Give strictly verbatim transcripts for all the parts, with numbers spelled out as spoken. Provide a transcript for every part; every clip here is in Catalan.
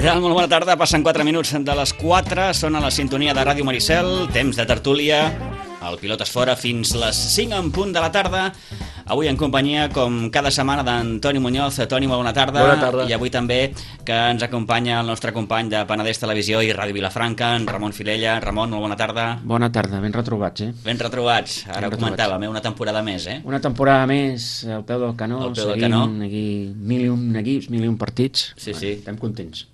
tal? Molt bona tarda. Passen quatre minuts de les quatre. Són a la sintonia de Ràdio Maricel. Temps de tertúlia. El Pilotes Fora fins les cinc en punt de la tarda. Avui en companyia, com cada setmana, d'en Toni Muñoz. Toni, molt bona tarda. Bona tarda. I avui també que ens acompanya el nostre company de Penedès Televisió i Ràdio Vilafranca, en Ramon Filella. Ramon, molt bona tarda. Bona tarda, ben retrobats, eh? Ben retrobats. Ara Ben ho comentàvem, eh? Una temporada més, eh? Una temporada més al peu del canó, Al peu del seguint canó. aquí mil i un equips, mil i un partits. Sí, sí. Estem contents.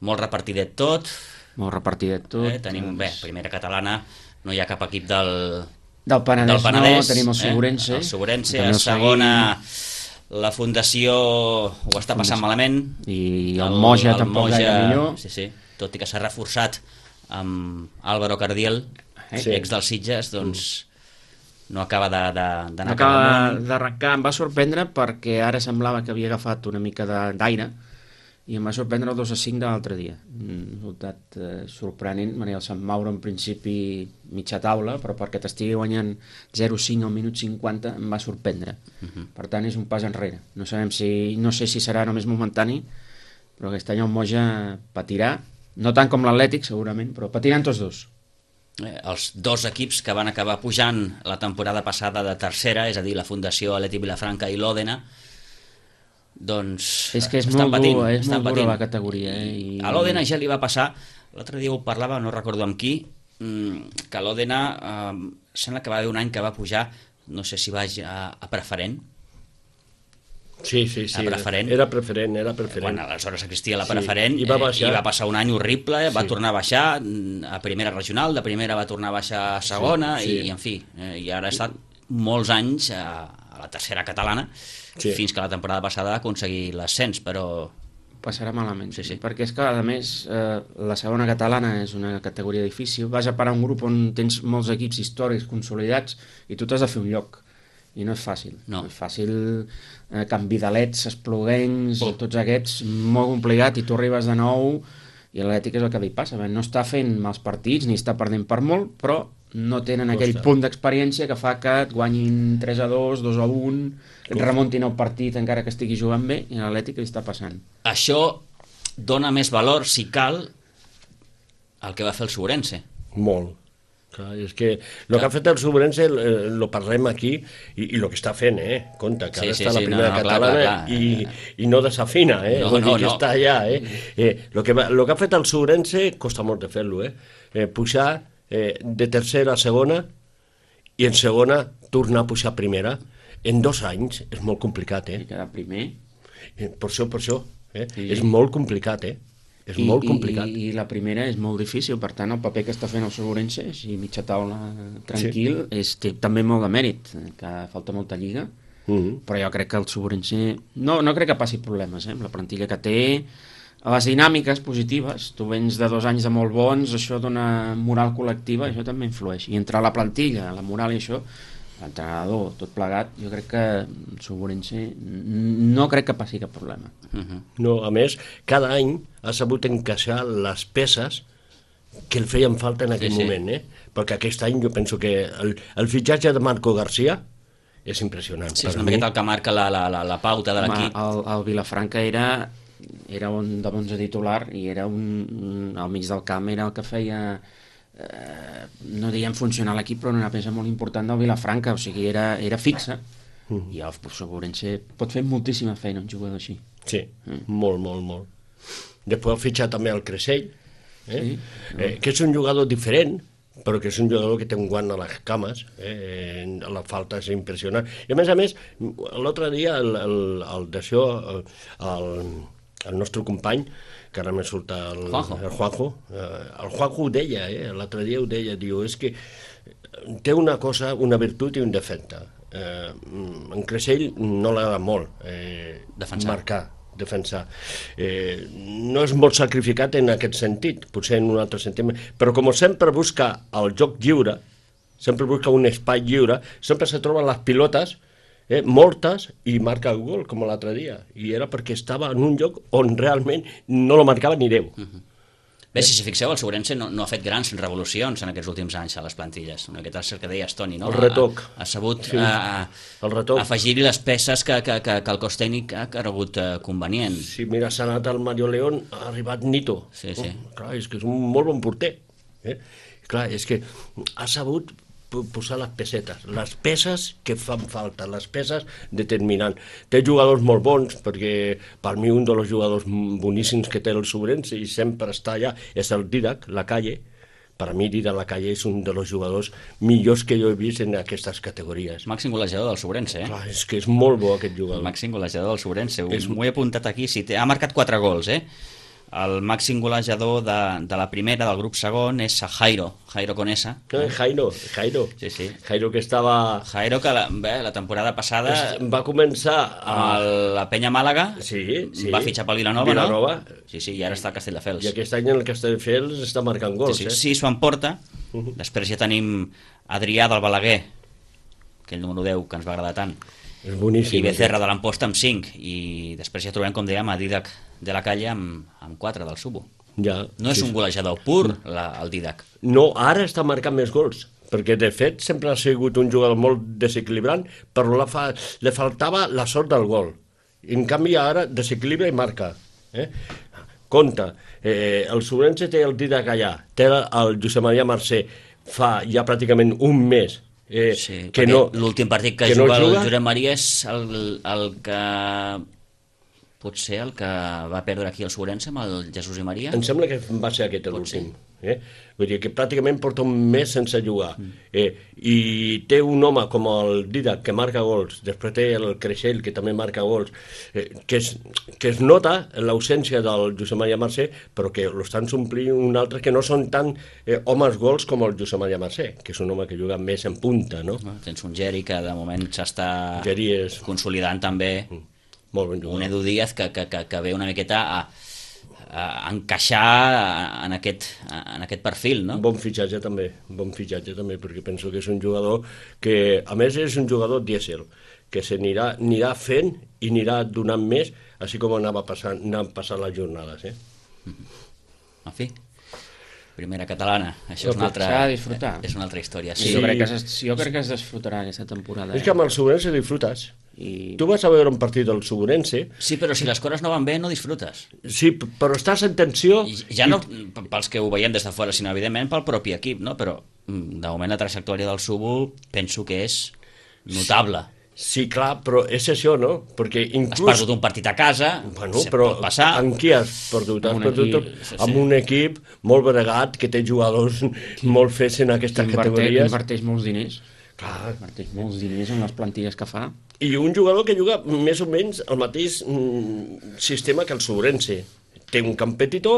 Molt repartidet tot. Molt repartidet tot. Eh? Tenim, bé, primera catalana, no hi ha cap equip del... Del Penedès, del Penedès, no, tenim el Segurense. Eh? El Segurense, També a el segona seguim. la Fundació ho està passant malament. I el Moja tampoc Moja, gaire millor. Sí, sí, tot i que s'ha reforçat amb Álvaro Cardiel, Eh? ex dels Sitges, doncs no acaba de- de- d'anar No cap acaba amunt. d'arrencar, em va sorprendre perquè ara semblava que havia agafat una mica de- d'aire i em va sorprendre el dos a cinc de l'altre dia. Un resultat eh, sorprenent, Maria del Sant Mauro en principi mitja taula, però perquè t'estigui guanyant zero a cinc al minut cinquanta em va sorprendre. Mhm. Per tant, és un pas enrere. No sabem si, no sé si serà només momentani, però aquest any el Moja patirà, no tant com l'Atlètic segurament, però patiran tots dos. Eh, els dos equips que van acabar pujant la temporada passada de tercera, és a dir, la Fundació Atlètic Vilafranca i l'Òdena, doncs És que és estan molt patint, dur, és estan molt dura patint. la categoria. Eh? I... A l'Òdena ja li va passar, l'altre dia ho parlava, no recordo amb qui, mm, que l'Òdena eh, sembla que va haver un any que va pujar, no sé si va a, a preferent. Sí, sí, sí. A preferent. Era preferent, era preferent. Bueno, aleshores existia la Sí, preferent, i va eh, baixar. i va passar un any horrible, va Sí. tornar a baixar mm, a primera regional, de primera va tornar a baixar a segona, Sí, sí. i en fi, eh, i ara ha estat molts anys a, a la tercera catalana, Sí. fins que la temporada passada va aconseguir l'ascens, però Passarà malament, Sí, sí. perquè és que, a més, eh, la segona catalana és una categoria difícil, vas a parar un grup on tens molts equips històrics consolidats i tu t'has de fer un lloc, i no és fàcil. No. No és fàcil, eh, Canvidalets, Espluguencs, Oh. tots aquests, molt complicat, i tu arribes de nou, i l'Atlètic és el que li passa, no està fent mals partits, ni està perdent per molt, però no tenen No aquell està. punt d'experiència que fa que et guanyin tres a dos, dos a un, et remuntin el partit encara que estigui jugant bé, i a l'Atlètic li està passant. això dona més valor, si cal, al que va fer el Segurense. Molt. Clar, és que el que ha fet el Segurense eh, lo parlem aquí i, i el que està fent, eh? Compte, que Sí, ara sí, està a la sí, no, primera no, clar, catalana clar, clar. i, i no desafina, eh? No, Vull dir no, que no. està allà, eh? eh lo, que va, lo que ha fet el Segurense costa molt de fer-lo, eh? eh? Pujar eh, de tercera a segona i en segona tornar a pujar a primera. En dos anys és molt complicat, I eh? quedar primer. Eh, Per això, per això. Eh? Sí. És molt complicat, eh? És I, molt i- complicat. I, I la primera és molt difícil, per tant el paper que està fent el Segurense, així mitja taula tranquil, sí. és, té també molt de mèrit, eh, que falta molta lliga, Mhm. però jo crec que el Segurense no, no crec que passi problemes, eh, amb la plantilla que té, les dinàmiques positives, tu vens de dos anys de molt bons, això dona moral col·lectiva, això també influeix, i entre la plantilla, la moral i això, l'entrenador, tot plegat, jo crec que el Segurense no crec que passi cap problema. Uh -huh. No, a més, cada any ha sabut encaixar les peces que el feien falta en aquell Sí, sí. moment, eh? Perquè aquest any jo penso que el, el fitxatge de Marco García és impressionant. Sí, Per és una mi. miqueta el que marca la, la, la, la pauta de Home, l'equip. el, el Vilafranca era, era un de onze titular i era un, un, al mig del camp era el que feia, eh, no diguem funcionar l'equip, però una peça molt important del Vilafranca, o sigui, era, era fixa, Mm. i el Segurense pot fer moltíssima feina un jugador així. Sí, Mm. molt, molt, molt. Després ha fitxat també el Creixell, eh? Sí. Eh, que és un jugador diferent, però que és un jugador que té un guant a les cames, eh? La falta és impressionant. I a més a més, l'altre dia el, el, el d'això, el, el nostre company, que ara me surt el Juanjo, el Juanjo, eh, el Juanjo ho deia, eh? L'altre dia ho deia, diu, és que té una cosa, una virtut i un defecte. Eh, en Creixell no l'ha molt eh, Defensar. marcar, defensar. Eh, no és molt sacrificat en aquest sentit, potser en un altre sentit, però com sempre busca el joc lliure, sempre busca un espai lliure, sempre se troben les pilotes eh, mortes i marca el gol, com l'altre dia. I era perquè estava en un lloc on realment no lo marcava ni Déu. Bé, si s'hi fixeu, el Sobrense no, no ha fet grans revolucions en aquests últims anys a les plantilles. Una miqueta el que deies, Toni, no? El retoc. Ha, ha sabut Sí, a, el retoc. afegir-hi les peces que, que, que, que el cos tècnic ha cregut eh, convenient. Si mira, s'ha anat al Mario León, ha arribat Nito. Sí, sí. Oh, clar, és que és un molt bon porter. Eh? Clar, és que ha sabut posar les pesetes, les peces que fan falta, les peces determinants. Té jugadors molt bons, perquè per mi un dels jugadors boníssims que té el Sobrense i sempre està allà és el Didac, la Calle. Per a mi Didac la Calle és un dels jugadors millors que jo he vist en aquestes categories. Màxim golejador del Sobrense, eh? Clar, és que és molt bo aquest jugador. Màxim golejador del Sobrense. És... M'ho he apuntat aquí. Sí, té, ha marcat quatre gols, eh? El màxim golejador de, de la primera, del grup segon, és a Jairo, Jairo Conesa. Eh, Jairo, Jairo. Sí, sí. Jairo que estava... Jairo, que la, bé, la temporada passada va començar a... amb la Penya Màlaga Sí, sí. va fitxar pel Vilanova, Vilanova. no? Sí, sí, i ara està al Castelldefels. I aquest any el Castelldefels està marcant gols, sí, sí, eh? sí, s'ho emporta. Uh -huh. Després ja tenim Adrià del Balaguer, aquell número deu que ens va agradar tant. És boníssim. I Becerra de l'Amposta amb cinc. I després ja trobem, com dèiem, a Didac de la Calle amb, amb quatre del Subo. Ja, No és sí, un golejador pur, la, el Didac. No, ara està marcant més gols, perquè de fet sempre ha sigut un jugador molt desequilibrant, però la fa... li faltava la sort del gol. En canvi ara desequilibra i marca. Eh? Compte, eh, el Sobrense té el Didac allà, té el Josep Maria Mercè fa ja pràcticament un mes eh, Sí, que no, l'últim partit que, que juga no el juga. Josep Maria és el, el que... potser el que va perdre aquí el Sobrense amb el Jesús i Maria. Em sembla que va ser aquest Pot l'últim. Eh? Vull dir que pràcticament porta un mes sense jugar. Eh, I té un home com el Didac que marca gols, després té el Creixell que també marca gols, eh, que, es, que es nota l'ausència del Josep Maria Mercè, però que l'estan suplint un altre que no són tan eh, homes gols com el Josep Maria Mercè, que és un home que juga més en punta, no? Tens un Geri que de moment s'està Geri és... consolidant també. Molt ben jugador. Un Edu Díaz que, que, que, que ve una miqueta a, a encaixar en aquest, en aquest perfil, no? Bon fitxatge també, bon fitxatge també, perquè penso que és un jugador que, a més, és un jugador dièsel, que s'anirà anirà fent i anirà donant més, així com anava passant, anant passant les jornades, eh? En fi, primera catalana, això és una altra, S'ha de disfrutar. és una altra història. Sí. Sí. Jo, crec que es, jo crec que es desfrutarà aquesta temporada. És que amb el Sobrense disfrutes. I... Tu vas a veure un partit del Sobrense, sí, però si les coses no van bé, no disfrutes. sí, però estàs en tensió... I ja no pels que ho veiem des de fora, sinó evidentment pel propi equip, no? Però mm, de moment la trajectòria del Subo penso que és notable. Sí, clar, però és això, no? Perquè Has inclús... perdut un partit a casa, Bueno, se però pot passar. amb qui has perdut? Has Amb un perdut equip, sí, sí. amb un equip molt bregat, que té jugadors molt fets en aquestes Inverteix, categories. inverteix molts diners. Clar. Inverteix molts diners en les plantilles que fa. I un jugador que juga més o menys el mateix mm, sistema que el Sobrense. Té un camp petitó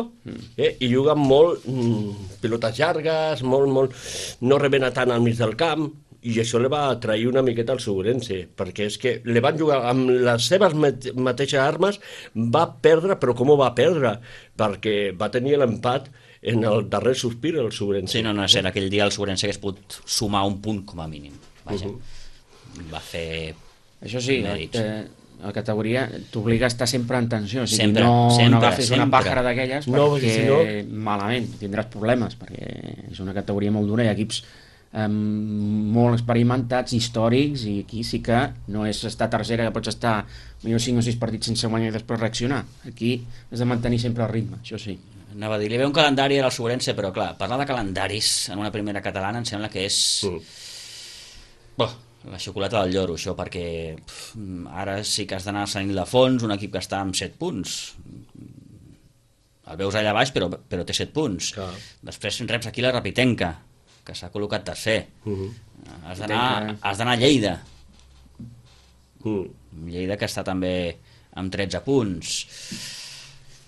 eh, i juga molt mm, pilotes llargues, molt, molt, no rebena tant al mig del camp, i això li va atrair una miqueta al Sobrense, perquè és que li van jugar amb les seves mateixes armes, va perdre, però com ho va perdre? Perquè va tenir l'empat en el darrer sospir el Sobrense. Sí, no, no, era aquell dia el Sobrense hagués pogut sumar un punt com a mínim. Vaja, Uh va fer Això sí, mèrits. eh, la categoria t'obliga a estar sempre en tensió, o sigui, Sempre, no, sempre, no agafis una sempre. pàjara d'aquelles No, perquè perquè si no- malament tindràs problemes, perquè és una categoria molt dura, hi ha equips eh, molt experimentats, històrics, i aquí sí que no és estar tercera, que pots estar millor cinc o sis partits sense guanyar i després reaccionar. Aquí has de mantenir sempre el ritme, això sí. Anava a dir, li ve un calendari al Sobrense, però clar, parlar de calendaris en una primera catalana em sembla que és... Mm. Boh, la xocolata del lloro, això, perquè pf, ara sí que has d'anar a Sant Ildefons, un equip que està amb set punts. El veus allà baix, però, però té set punts. Clar. Després reps aquí la Rapitenca, que s'ha col·locat tercer. Uh -huh. Has d'anar has d'anar a Lleida. Mm. Lleida, que està també amb tretze punts.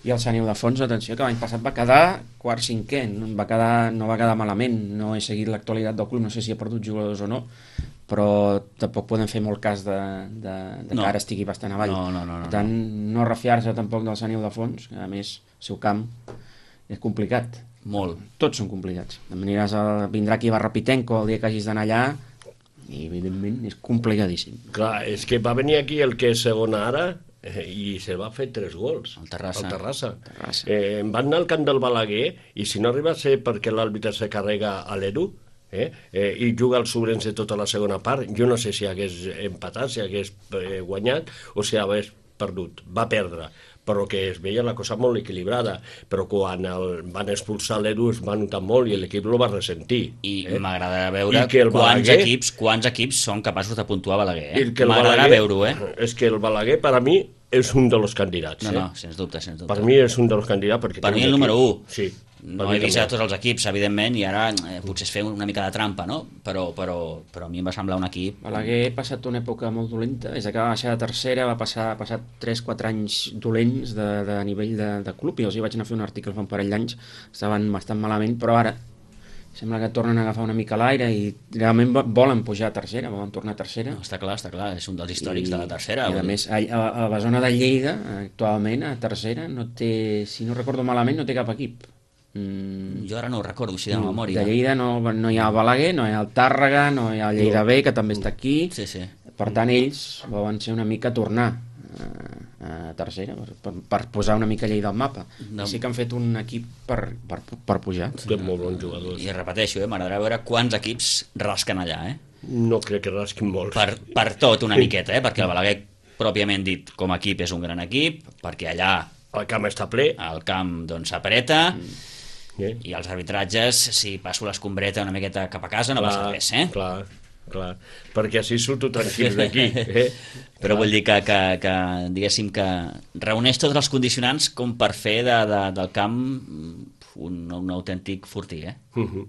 I el Sant Ildefons, atenció, que l'any passat va quedar quart cinquè, no va quedar, no va quedar malament, no he seguit l'actualitat del club, no sé si ha perdut jugadors o no, però tampoc poden fer molt cas de, de, de No. que ara estigui bastant avall. No, no, no, no, per tant, no refiar-se tampoc del Sant Ildefons, que a més el seu camp és complicat. Molt. Tots són complicats. Aniràs a, vindrà aquí a Rapitenco el dia que hagis d'anar allà i evidentment és complicadíssim. Clar, és que va venir aquí el que és segon ara, eh, i se va fer tres gols. El Terrassa. El Terrassa. Terrassa. Eh, em van anar al camp del Balaguer i si no arriba a ser perquè l'àrbitre se carrega a l'Edu, eh, eh, i juga el Sobrense tota la segona part, jo no sé si hagués empatat, si hagués eh, guanyat o si hagués perdut. Va perdre, però que es veia la cosa molt equilibrada, però quan el, van expulsar l'Edu es va notar molt i l'equip lo va ressentir. I eh? m'agradarà veure quants, Balaguer... equips, quants equips són capaços de puntuar Balaguer. Eh? M'agradarà veure-ho, eh? És que el Balaguer, per a mi, és un dels candidats. No, eh? no, sens dubte, sens dubte. Per mi és un dels candidats. Perquè per mi el número u. Sí. No he vist a tots els equips, evidentment, i ara eh, potser es fer una mica de trampa, no? Però, però, però a mi em va semblar un equip... Balaguer ha passat una època molt dolenta, des que va baixar de tercera, va passar, ha passat tres quatre anys dolents de, de nivell de, de club, i els hi vaig anar a fer un article fa un parell d'anys, estaven bastant malament, però ara sembla que tornen a agafar una mica l'aire i realment volen pujar a tercera, volen tornar a tercera. No, està clar, està clar, és un dels històrics I, de la tercera. I a més, a, a, a la zona de Lleida, actualment, a tercera, no té, si no recordo malament, no té cap equip. Mm, jo ara no ho recordo, així de memòria. De Lleida no, no hi ha Balaguer, no hi ha el Tàrrega, no hi ha el Lleida B, que també està aquí. Sí, sí. Per tant, ells volen ser una mica tornar a, a tercera, per, per, per posar una mica Lleida al mapa. No. I sí que han fet un equip per, per, per pujar. Té molt bons jugadors. I repeteixo, eh, m'agradarà veure quants equips rasquen allà, eh? No crec que rasquin molts. Per, per tot una miqueta, eh? Perquè el Balaguer, pròpiament dit, com a equip és un gran equip, perquè allà... El camp està ple. El camp, doncs, s'apreta... Mm. Yeah. I els arbitratges, si passo l'escombreta una miqueta cap a casa, no clar, passa res, eh? Clar, clar, perquè així surto tranquils d'aquí. Eh? Però clar. Vull dir que, que, que, diguéssim, que reuneix tots els condicionants com per fer de, de, del camp un, un autèntic fortí, eh? Uh -huh.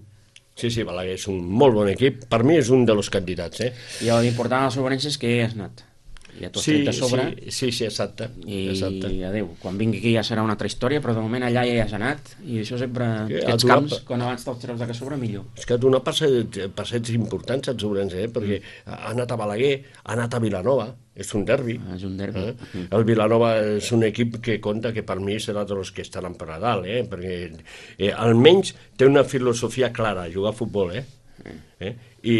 Sí, sí, Balaguer és un molt bon equip. Per mi és un dels candidats, eh? I l'important a la Sobrense és que has anat. Ja t'ho has sí, tret a sobre. Sí, sí, sí, exacte. I exacte. adéu. Quan vingui aquí ja serà una altra història, però de moment allà ja hi has anat, i això sempre, que aquests camps, pa... quan abans te'ls treus de que sobre, millor. És que ha donat passets importants als Sobrense, eh? Perquè mm. ha anat a Balaguer, ha anat a Vilanova, és un derbi. Ah, és un derbi. Eh? Mm. El Vilanova és un equip que compta que per mi serà dels que estaran per a dalt, eh? Perquè eh, almenys té una filosofia clara, jugar a futbol, eh? Eh? I,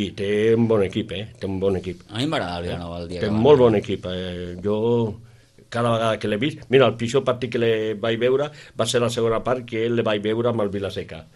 i té un bon equip, eh? Té un bon equip. A mi m'agrada el Vilanova el dia. Té un molt bon equip. Eh? Jo, cada vegada que l'he vist... Mira, el pitjor partit que le vaig veure va ser la segona part que le vaig veure amb el Vilaseca.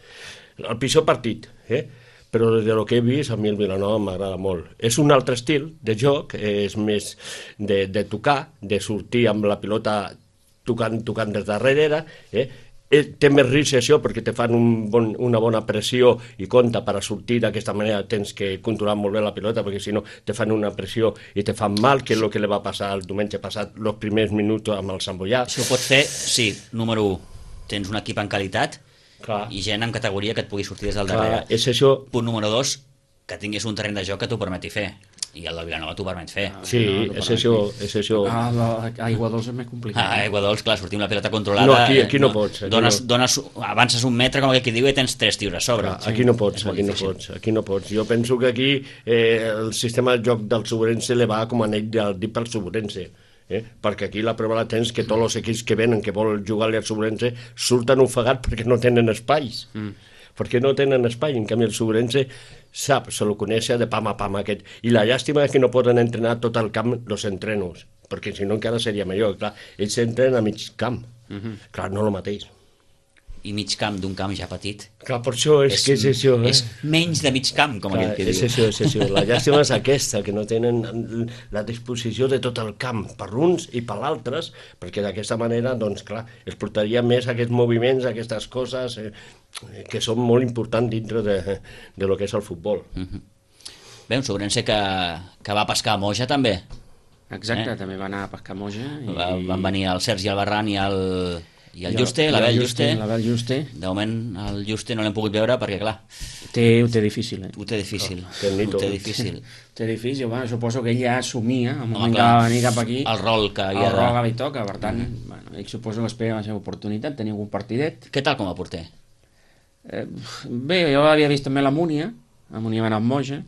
El pitjor partit, eh? Però des de lo que he vist, a mi el Vilanova m'agrada molt. És un altre estil de joc, és més de, de tocar, de sortir amb la pilota tocant, tocant des darrere, eh? Té més risc això perquè te fan un bon, una bona pressió i compta per a sortir d'aquesta manera tens que controlar molt bé la pilota perquè si no te fan una pressió i te fan mal, que és el que li va passar el diumenge passat els primers minuts amb el Sant Boià. Això ho pots fer, sí, número u, tens un equip en qualitat. Clar. I gent en categoria que et pugui sortir des del darrere. Clar, és això... Punt número dos, que tinguis un terreny de joc que t'ho permeti fer. I el de Vilanova t'ho permet fer. Sí, no, és això, és això. Ah, a Aigua Dols és més complicat. Ah, Aigua Dols, clar, sortir amb la pilota controlada... No, aquí, aquí no, no pots. Aquí dones, no. Dones, avances un metre, com aquí diu, i tens tres tiros a sobre. Clar, aquí no pots, aquí no pots, aquí no pots. Jo penso que aquí eh, el sistema de joc del Sobrense le va com a anell del dit pel Sobrense. Eh? Perquè aquí la prova la tens que tots els equips que venen, que vol jugar-li al Sobrense, surten ofegats perquè no tenen espais. Mm. Perquè no tenen espai, en canvi el Sobrense sap, se lo coneix de pam a pam aquest, i la llàstima és que no poden entrenar tot el camp els entrenos, perquè si no encara seria millor, clar, ells s'entrenen a mig camp, uh -huh. clar, no el mateix. I mig camp d'un camp ja petit. Clar, per això és, és que és això. Eh? És menys de mig camp, com clar, aquell que és diu. això, és això. La llàstima és aquesta, que no tenen la disposició de tot el camp, per uns i per altres, perquè d'aquesta manera, doncs clar, es portaria més aquests moviments, aquestes coses eh, que són molt importants dintre de, de lo que és el futbol. Uh -huh. Bé, un Sobrense que, que va pescar a Moja, també. Exacte, eh? També va anar a pescar a Moja. I... Va, van venir el Sergi Albarran i el... I el Juste, l'Abel Juste. L'Abel Juste. De moment el Juste no l'hem pogut veure perquè, clar... Té, ho té difícil, eh? Ho té difícil. Oh, ho té difícil. Ho té difícil, bueno, suposo que ell ja assumia el moment que va venir cap aquí. El rol que havia el rol que li toca, per tant, mm. bueno, ell suposo que espera la seva oportunitat, tenir algun partidet. Què tal com a porter? Eh, bé, jo l'havia vist també a la Múnia, a Múnia va anar amb Moja.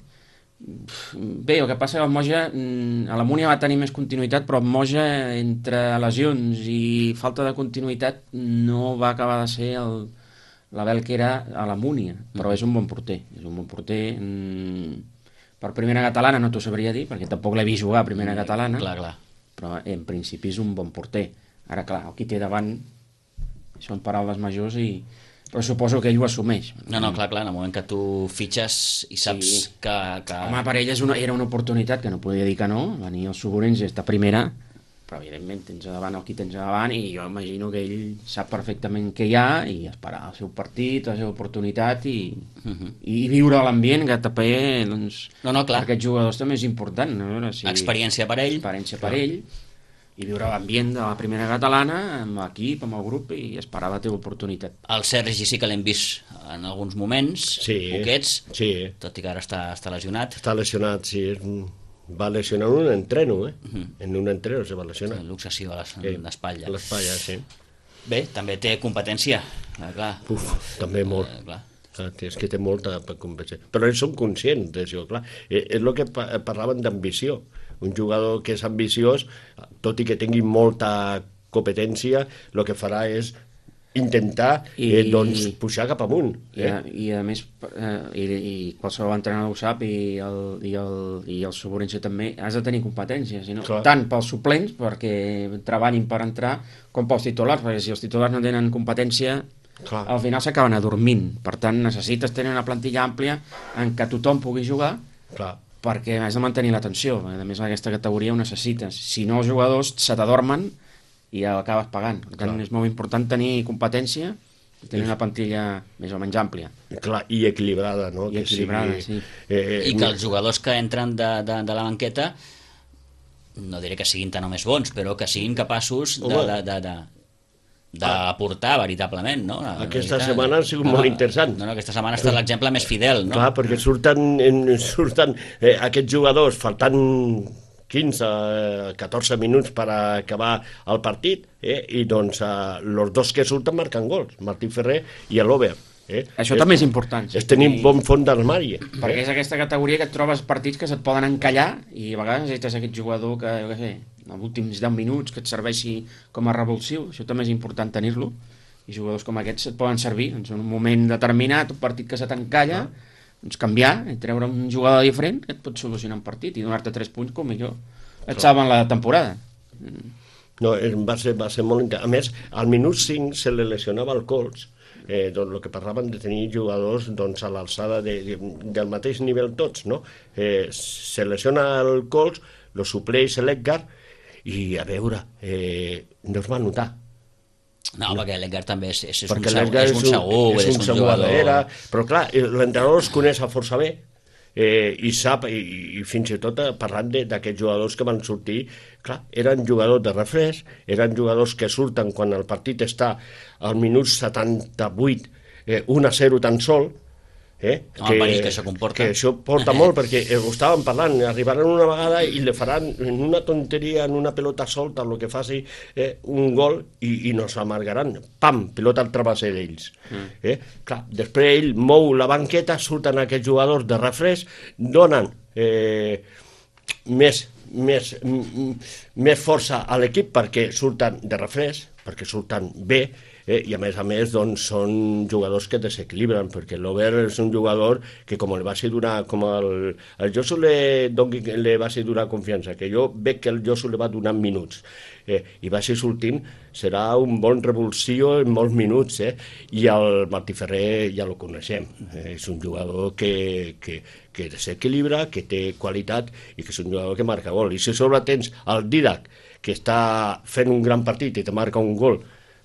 Bé, el que passa que el Moja, a la Múnia va tenir més continuïtat, però el Moja, entre lesions i falta de continuïtat, no va acabar de ser el, l'Abel que era a la Múnia, però és un bon porter, és un bon porter. Per primera catalana no t'ho sabria dir, perquè tampoc l'he vist jugar a primera catalana. Clar, clar. però en principi és un bon porter. Ara, clar, el qui té davant són paraules majors i... però suposo que ell ho assumeix. No, no, clar, clar, en el moment que tu fitxes i saps sí. que, que... Home, per ell és una, era una oportunitat que no podia dir que no, venir als Suburencs i estar primera, però evidentment tens a davant el qui tens a davant i jo imagino que ell sap perfectament què hi ha i esperar el seu partit, la seva oportunitat i, uh -huh. i viure l'ambient que també, doncs, no, no, clar. per aquests jugadors també és important. No? Veure si... Experiència per ell. Experiència per ell. I viure l'ambient de la primera catalana amb l'equip, amb el grup i esperar la teva oportunitat. El Sergi sí que l'hem vist en alguns moments, sí, poquets, sí. tot i que ara està, està lesionat. Està lesionat, sí. Va lesionar en un entreno, eh? Uh -huh. En un entreno se va lesionar. Sí, l'obsessió a l'espatlla. A l'espatlla, sí. Bé, també té competència, eh, clar. Uf, també molt. Eh, clar. Ah, és que té molta competència. Però ells són conscients d'això, clar. Eh, és el que parlaven d'ambició. Un jugador que és ambiciós, tot i que tingui molta competència, el que farà és intentar I, eh, doncs, pujar cap amunt. I, eh? a, i a més, eh, i, i qualsevol entrenador ho sap, i el, i el, i el Suburense també, has de tenir competència, sinó, tant pels suplents, perquè treballin per entrar, com pels titulars, perquè si els titulars no tenen competència, clar, al final s'acaben adormint. Per tant, necessites tenir una plantilla àmplia en què tothom pugui jugar, clar, perquè has de mantenir l'atenció. A més, en aquesta categoria ho necessites. Si no, els jugadors se t'adormen i acabes pagant. Per tant, clar, és molt important tenir competència i tenir una plantilla més o menys àmplia. Clar, i equilibrada, no? I que equilibrada, sigui... sí. Eh, I que els jugadors que entren de, de, de la banqueta, no diré que siguin tan o més bons, però que siguin capaços de... de, de, de d'aportar veritablement, no? La aquesta veritat. setmana ha sigut no, molt interessant. No, no, aquesta setmana ha estat l'exemple més fidel, no? Clar, perquè surten, surten eh, aquests jugadors faltant quinze a catorze minuts per acabar el partit, eh, i doncs eh, els dos que surten marquen gols, Martí Ferrer i l'Ober. Eh? Això és, també és important. És tenir un bon fons d'armari. Eh? Perquè és aquesta categoria que et trobes partits que se't poden encallar i a vegades necessites aquest jugador que, jo què sé, en els últims deu minuts que et serveixi com a revulsiu. Això també és important tenir-lo. I jugadors com aquests et poden servir doncs, en un moment determinat, un partit que se t'encalla, ah. doncs canviar, treure un jugador diferent que et pot solucionar un partit i donar-te tres punts com millor et salven la temporada. No, va ser, va ser molt interessant. A més, al minut cinc se li lesionava el colz. Eh, doncs el que parlaven de tenir jugadors doncs, a l'alçada de, de, del mateix nivell tots, no? Eh, se lesiona el colz, lo supleix l'Edgar i a veure, eh, no es va notar. No, no. perquè l'Edgar també és, és, és, perquè un, segur, és un segur, és un, és un, un jugador. Era, però clar, l'entrenador es coneix a força bé, eh, i sap, i, i fins i tot parlant d'aquests jugadors que van sortir, clar, eren jugadors de refresc, eren jugadors que surten quan el partit està al minut setanta-vuit, eh, un a zero tan sol, eh, no, que, que això comporta. Que això porta molt, perquè ho estàvem parlant, arribaran una vegada i le faran en una tonteria, en una pelota solta, el que faci eh, un gol i, i no s'amargaran. Pam, pelota al travesser d'ells. Mm. Eh? Clar, després ell mou la banqueta, surten aquests jugadors de refresc, donen eh, més, més, més força a l'equip perquè surten de refresc, perquè surten bé, Eh, i a més a més doncs, són jugadors que desequilibren, perquè l'Ober és un jugador que com el va ser donar, com el, el Josu le, doni, le va ser donar confiança, que jo veig que el Josu le va donar minuts, eh, i va ser sortint, serà un bon revulsió en molts minuts, eh, i el Martí Ferrer ja lo coneixem, eh, és un jugador que, que, que desequilibra, que té qualitat i que és un jugador que marca gol, i si sobre tens el Didac, que està fent un gran partit i te marca un gol,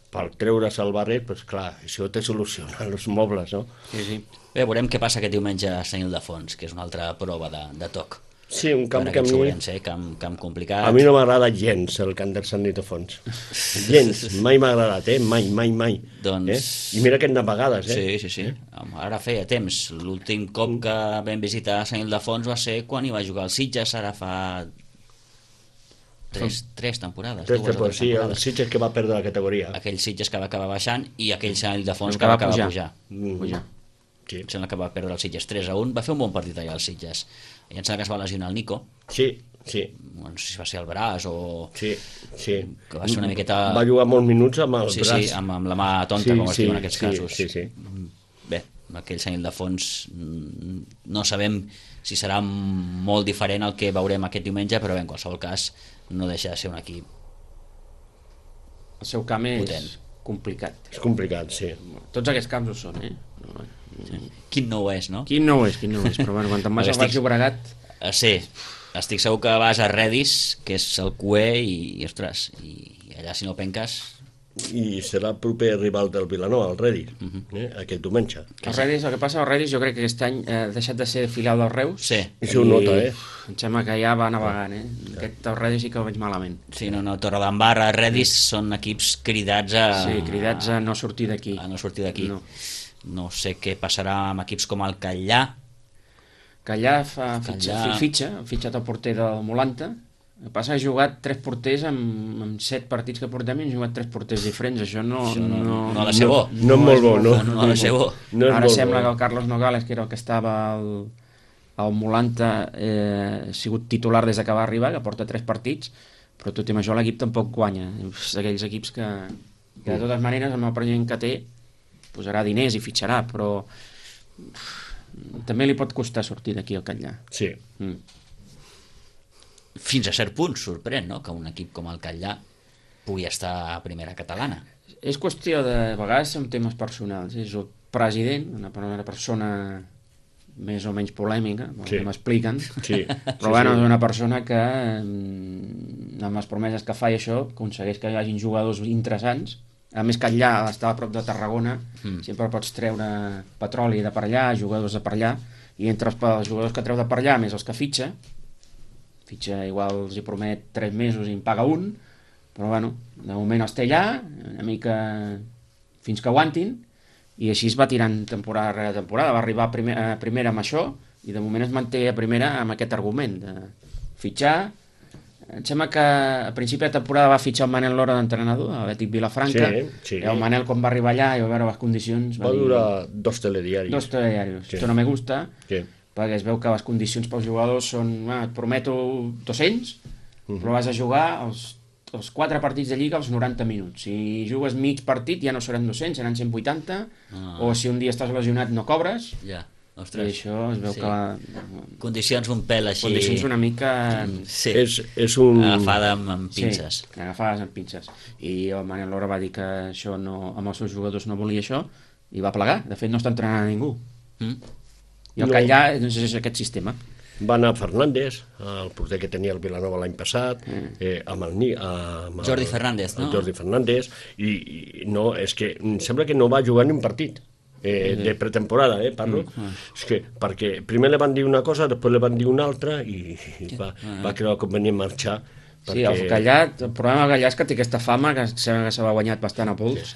per treure's el barret, doncs clar, això te soluciona els mobles, no? Sí, sí. Bé, veurem què passa aquest diumenge a Sant Ildefons, que és una altra prova de, de toc. Sí, un camp que a mi... Sobrens, eh? camp, camp complicat. A mi no m'agrada gens el camp del Sant Ildefons. Gens, mai m'ha agradat, eh? Mai, mai, mai. Doncs... Eh? I mira que n'ha vegades, eh? Sí, sí, sí. Eh? Ara feia temps. L'últim cop que vam visitar Sant Ildefons va ser quan hi va jugar el Sitges, ara fa... Tres, tres temporades. Tres temporades, sí, el Sitges que va perdre la categoria. Aquell Sitges que va acabar baixant i aquell Sant Ildefons que va acabar pujar. Mm. pujar. Sí. Em sembla que va perdre el Sitges tres a un. Va fer un bon partit allà el Sitges. I em sembla que es va lesionar el Nico. Sí, sí. No sé si va ser el braç o... Sí, sí. Que va ser una miqueta... Va jugar molts minuts amb el sí, braç. Sí, amb, amb la mà tonta, sí, com es sí, diu en aquests sí, casos. Sí, sí. Bé, aquell senyal de fons no sabem si serà molt diferent el que veurem aquest diumenge, però bé, en qualsevol cas no deixa de ser un equip el seu camp és potent. Complicat. És complicat, sí. Tots aquests camps ho són, eh? No, sí. Quin no ho és, no? Quin no ho és, quin no ho és, però bueno, quan te'n vas al Baix Llobregat... Uh, sí, estic segur que vas a Redis, que és el cué, i, i ostres, i allà si no penques... I serà el proper rival del Vilanova, el Redis, uh -huh. eh? aquest diumenge. El Redis, el que passa al Redis, jo crec que aquest any ha deixat de ser filial del Reus. Sí. I això ho nota, eh? Em sembla que ja va navegant, eh? Aquest el Redis sí que ho veig malament. Sí, no, no, Torredembarra, Redis són equips cridats a... Sí, cridats a no sortir d'aquí. A no sortir d'aquí. No. No sé què passarà amb equips com el Catllà. Catllà fa fitxa, Catllà... fitxa, ha fitxat el porter del Molanta. El que passa que ha jugat tres porters amb, amb set partits que portem i han jugat tres porters diferents. Això no... Això no, no, no ha de ser bo. No, no és molt bo, no. No, no ha de ser bo. No és Ara molt sembla bo. que el Carlos Nogales, que era el que estava al, al Molanta, eh, ha sigut titular des que va arribar, que porta tres partits, però tot i amb això l'equip tampoc guanya. És d'aquells equips que, que de totes maneres amb el present que té posarà diners i fitxarà, però uf, també li pot costar sortir d'aquí al Catllà. Sí. Mm. Fins a cert punt sorprèn, no?, que un equip com el Catllà pugui estar a primera catalana. És qüestió de, a vegades són temes personals. És el president, una, una persona més o menys polèmica, sí. que m'expliquen, Sí. però sí, bueno, sí. és una persona que amb les promeses que fa i això aconsegueix que hi hagin jugadors interessants. A més que allà està a prop de Tarragona, mm. sempre pots treure petroli de per allà, jugadors de per allà, i entre els, els jugadors que treu de per allà més els que fitxa, fitxa igual els hi promet tres mesos i en paga un, però bueno, de moment els té allà, una mica fins que aguantin, i així es va tirant temporada rere temporada, va arribar a, primer, a primera amb això, i de moment es manté a primera amb aquest argument de fitxar. Em sembla que a principi de temporada va fitxar el Manel Lora d'entrenador, a Betis Vilafranca, Sí, sí. i el Manel quan va arribar allà i va veure les condicions... Va durar dos telediaris. Dos telediaris. Sí. Esto no me gusta, Sí. perquè es veu que les condicions pels jugadors són, ah, et prometo dos-cents, uh -huh. però vas a jugar els, els quatre partits de Lliga als noranta minuts. Si jugues mig partit ja no seran dos-cents, seran cent vuitanta, Ah. o si un dia estàs lesionat no cobres, Ja, i ostres. això es veu Sí. que... La, Condicions un pèl així... condicions una mica... Sí, És, és un... agafada amb, amb pinces. Sí, agafades amb pinces. I el Manel Lora va dir que això no, amb els seus jugadors no volia això, i va plegar. De fet, no està entrenant a ningú. Mm? I el No. Catllà doncs, és aquest sistema. Va anar Fernández, el porter que tenia el Vilanova l'any passat, mm. eh, amb el, Ni- amb el Jordi Fernández, no? El Jordi Fernández, i, i no, és que em sembla que no va jugar ni un partit. Eh, de pretemporada, eh, parlo. Mm. És que, perquè primer li van dir una cosa, després li van dir una altra, i, i va, Ah. va creure convenient marxar. Sí, el Catllà, el problema del Catllà és que té aquesta fama, que sembla que se l'ha guanyat bastant a pols,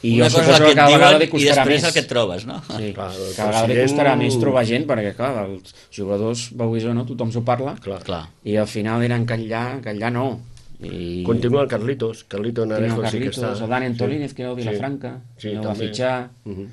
i Una jo cosa és suposo el que que et cada vegada li diuen i costarà després més. el que et trobes, no? Sí, Clar, el cada vegada li president- costarà més trobar gent, perquè clar, els jugadors, veus o no, tothom s'ho parla, Clar. Clar. i al final eren Catllà, Catllà no. I... Continua el Carlitos, Carlitos Narejo Tenia el sí que Carlitos, està. el Dani Antolínez, Sí. que era el Vilafranca, Sí, sí, no va també. fitxar, Uh -huh.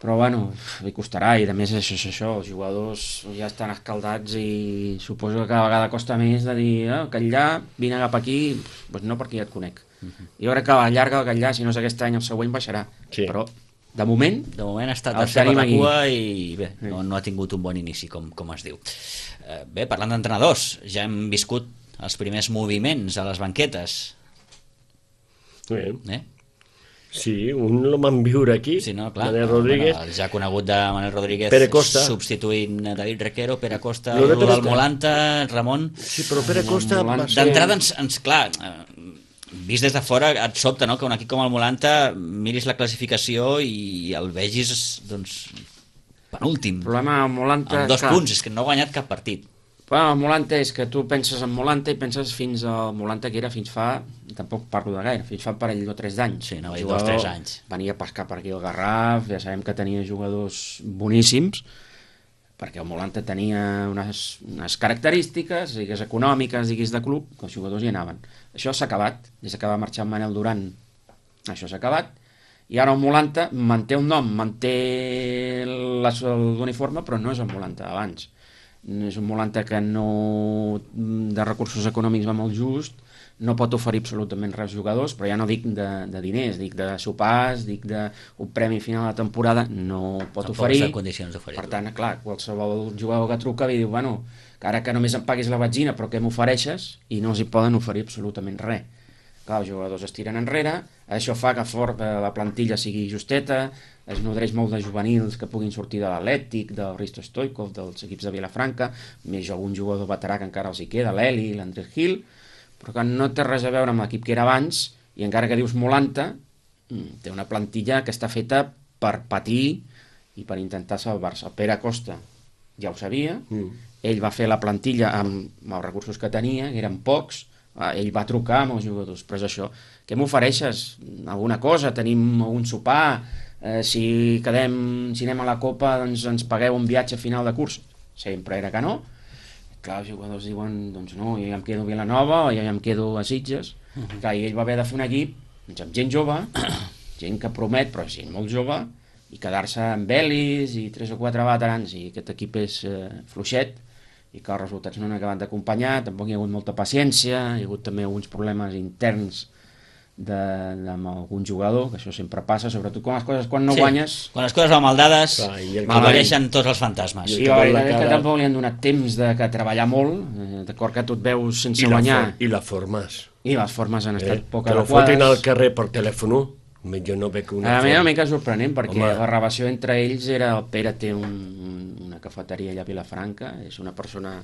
però bueno, li costarà, i a més això és això, els jugadors ja estan escaldats i suposo que cada vegada costa més de dir, oh, Catllà, vine cap aquí, doncs no, perquè ja et conec. Uh -huh. Jo crec que a la llarga el Catllà, si no és aquest any, el següent baixarà, Sí. però de moment De moment ha estat El tercer per tenim la aquí. cua i bé, no, no ha tingut un bon inici, com, com es diu. Eh, bé, parlant d'entrenadors, ja hem viscut els primers moviments a les banquetes. Bé. Eh? Sí, un el van viure aquí, Sí, no, clar. Manel Rodríguez. Bueno, el ja conegut de Manel Rodríguez Pere Costa. substituint a David Requero, Pere Costa, Lo de Pere del Costa. Molanta, Ramon. Sí, però Pere Costa va ser... D'entrada, ens, ens, clar, eh, vist des de fora et sobta, no?, que un equip com el Molanta miris la classificació i el vegis, doncs, penúltim, el problema amb Molanta... amb dos clar, punts, és que no ha guanyat cap partit. Bueno, el Molanta és que tu penses en Molanta i penses fins al Molanta que era fins fa, tampoc parlo de gaire, fins fa un parell o tres d'anys. Sí, anava a dir Jugador, dos, tres anys. Venia a pescar per aquí el Garraf, ja sabem que tenia jugadors boníssims, perquè el Molanta tenia unes, unes característiques, digues econòmiques, digues de club, que els jugadors hi anaven. Això s'ha acabat, des que va marxar Manel Duran, això s'ha acabat, i ara el Molanta manté un nom, manté l'uniforme, però no és el Molanta d'abans. És un Molanta que no de recursos econòmics va molt just, no pot oferir absolutament res als jugadors, però ja no dic de, de diners, dic de sopars, dic d'un premi final de temporada, no pot Tampoc oferir. està en condicions d'oferir-ho. Per tant, clar, qualsevol jugador que truca i diu, bueno, que ara que només em paguis la benzina, però què m'ofereixes? I no els hi poden oferir absolutament res. Clar, els jugadors es tiren enrere, això fa que for, la plantilla sigui justeta, es nodreix molt de juvenils que puguin sortir de l'Atlètic, del Risto Stoikov, dels equips de Vilafranca, més algun jugador veterà que encara els hi queda, l'Eli, l'Andrés Gil, però que no té res a veure amb l'equip que era abans, i encara que dius Molanta, té una plantilla que està feta per patir i per intentar salvar-se. El Pere Costa ja ho sabia, mm. ell va fer la plantilla amb, amb els recursos que tenia, que eren pocs, ell va trucar amb els jugadors, però és això, què m'ofereixes? Alguna cosa? Tenim algun sopar? Eh, si quedem, si anem a la Copa, doncs ens pagueu un viatge a final de curs? Sempre era que no. Clar, els jugadors diuen, doncs no, jo ja em quedo a Vilanova o jo ja em quedo a Sitges. Uh -huh. Clar, i ell va haver de fer un equip doncs, amb gent jove, gent que promet, però gent molt jove, i quedar-se amb Belis i tres o quatre veterans, i aquest equip és eh, fluixet, i que els resultats no han acabat d'acompanyar, tampoc hi ha hagut molta paciència, hi ha hagut també alguns problemes interns de, de, amb algun jugador, que això sempre passa, sobretot quan les coses, quan no sí, guanyes... quan les coses van mal dades, apareixen tots els fantasmes. I la veritat és que tampoc li han donat temps de que treballar molt, eh, d'acord que tu et veus sense I guanyar... For, I les formes. I les formes han estat eh? poc adequades. Que adequades. lo fotin al carrer per telèfon, jo no veig una... A mi és una mica sorprenent, perquè Home. la relació entre ells era... El Pere té un, una cafeteria allà a Vilafranca, és una persona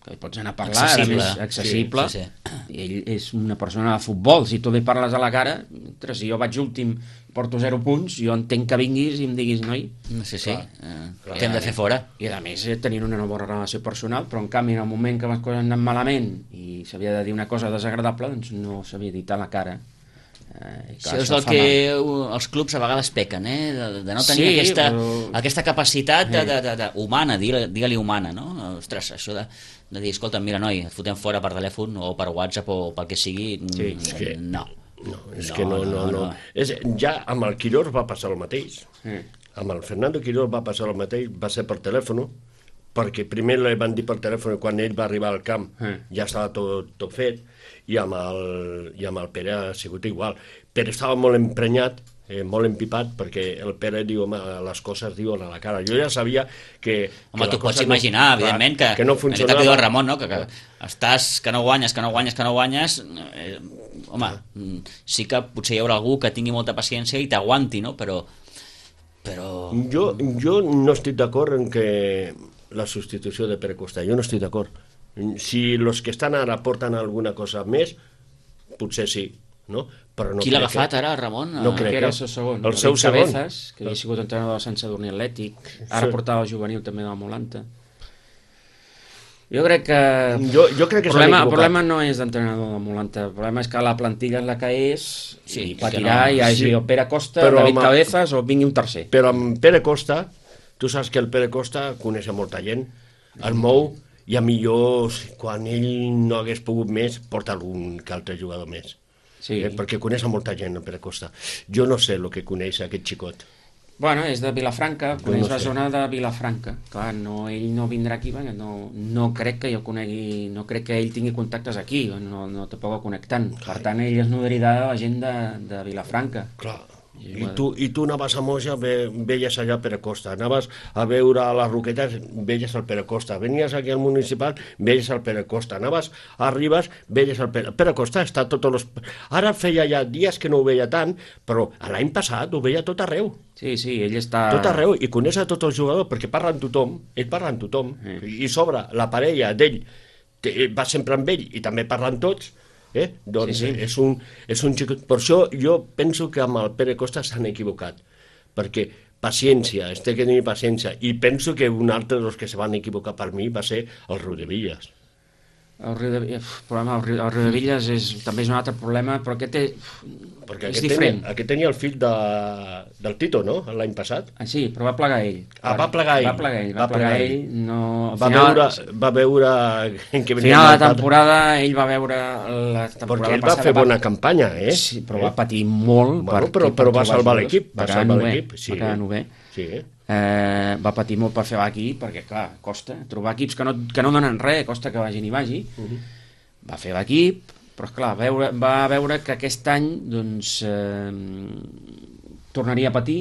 que hi pots anar a parlar, accessible, a més, accessible, sí, sí, sí. i ell és una persona de futbol, si tu li parles a la cara, mentre si jo vaig últim i porto zero punts, jo entenc que vinguis i em diguis, noi... Sí, sí, eh, t'hem de fer fora. I a més eh, tenint una nova relació personal, però en canvi en el moment que les coses han anat malament i s'havia de dir una cosa desagradable, doncs no s'havia dit a la cara. Eh, sí, és el que mal. Els clubs a vegades pequen, eh? de, de no tenir sí, aquesta, però... aquesta capacitat de, de, de, de, humana, digue-li humana, no? Ostres, això de, de dir, escolta, mira, noi, et fotem fora per telèfon o per WhatsApp o pel que sigui, sí, és que, no. No, és no, que no, no, no. no. És, ja amb el Quirós va passar el mateix. Sí. Amb el Fernando Quirós va passar el mateix, va ser per telèfon, perquè primer li van dir per telèfon quan ell va arribar al camp, sí. ja estava tot, tot fet, i amb, el, i amb el Pere ha sigut igual. Pere estava molt emprenyat, eh, molt empipat, perquè el Pere diu, home, les coses diuen a la cara. Jo ja sabia que... Home, que tu pots imaginar, no, evidentment, que, que no funcionava. Que el Ramon, no? que, que estàs, que no guanyes, que no guanyes, que no guanyes... Eh, home, sí que potser hi haurà algú que tingui molta paciència i t'aguanti, no? Però... però... Jo, jo no estic d'acord en que la substitució de Pere Costa, jo no estic d'acord. Si els que estan ara porten alguna cosa més, potser sí, no? Però no qui l'ha agafat que... ara, Ramon? No crec, que era el seu segon. El seu segon. Cabezas, que havia sigut entrenador del Sant Sadurní Atlètic, ara sí. Portava el juvenil també de la Molanta. Jo crec que... Jo, jo crec que el problema, el problema no és d'entrenador de Molanta, el problema és que la plantilla és la que és, sí, i patirà, no. I hagi sí. El Pere Costa, però David amb... Cabezas o vingui un tercer. Però amb Pere Costa, tu saps que el Pere Costa coneix molta gent, el mou, i a millor, quan ell no hagués pogut més, porta algun que altre jugador més. Sí. Eh, perquè coneix molta gent, el Pere Costa. Jo no sé el que coneix aquest xicot. Bueno, és de Vilafranca, coneix no la zona de Vilafranca. Clar, no, ell no vindrà aquí, perquè no, no crec que jo conegui, no crec que ell tingui contactes aquí, no, no te pogo connectant. Per tant, ell es nodrirà de la gent de, de Vilafranca. Clar. I tu, i tu anaves a Moja, ve, veies allà Pere Costa, anaves a veure a les Roquetes, veies el Pere Costa, venies aquí al municipal, veies el Pere Costa, anaves a Ribes, veies el Pere, Pere Costa, està tots els... Ara feia ja dies que no ho veia tant, però l'any passat ho veia tot arreu. Sí, sí, ell està... Tot arreu, i coneix a tots els jugadors, perquè parla amb tothom, ell parla amb tothom, sí. I sobre la parella d'ell va sempre amb ell i també parla amb tots. Eh? Doncs sí, sí. És un, és un xicot. Per això jo penso que amb el Pere Costa s'han equivocat, perquè paciència, es té que tenir paciència, i penso que un altre dels que se van equivocar per mi va ser el Riudevillas. El Riudevillas, problema, el Riu, el Riudevillas és, també és un altre problema, però aquest és, perquè és aquest diferent. Tenia, aquest tenia el fill de, del Tito, no?, l'any passat. Ah, sí, però va plegar ell. Ah, va plegar ell. Va plegar ell, va, va plegar ell. ell no... Va, final, veure, va veure... En què final de la temporada, ell va veure la temporada perquè ell va fer va... bona campanya, eh? Sí, però eh? va patir molt. Bueno, però, però va salvar l'equip. Va salvar l'equip, sí. Va quedar novè. Sí, eh? Eh, va patir molt per fer l'equip, perquè, clar, costa trobar equips que no, que no donen res, costa que vagin i vagi. Uh -huh. Va fer l'equip, Però, esclar, veure, va veure que aquest any doncs, eh, tornaria a patir,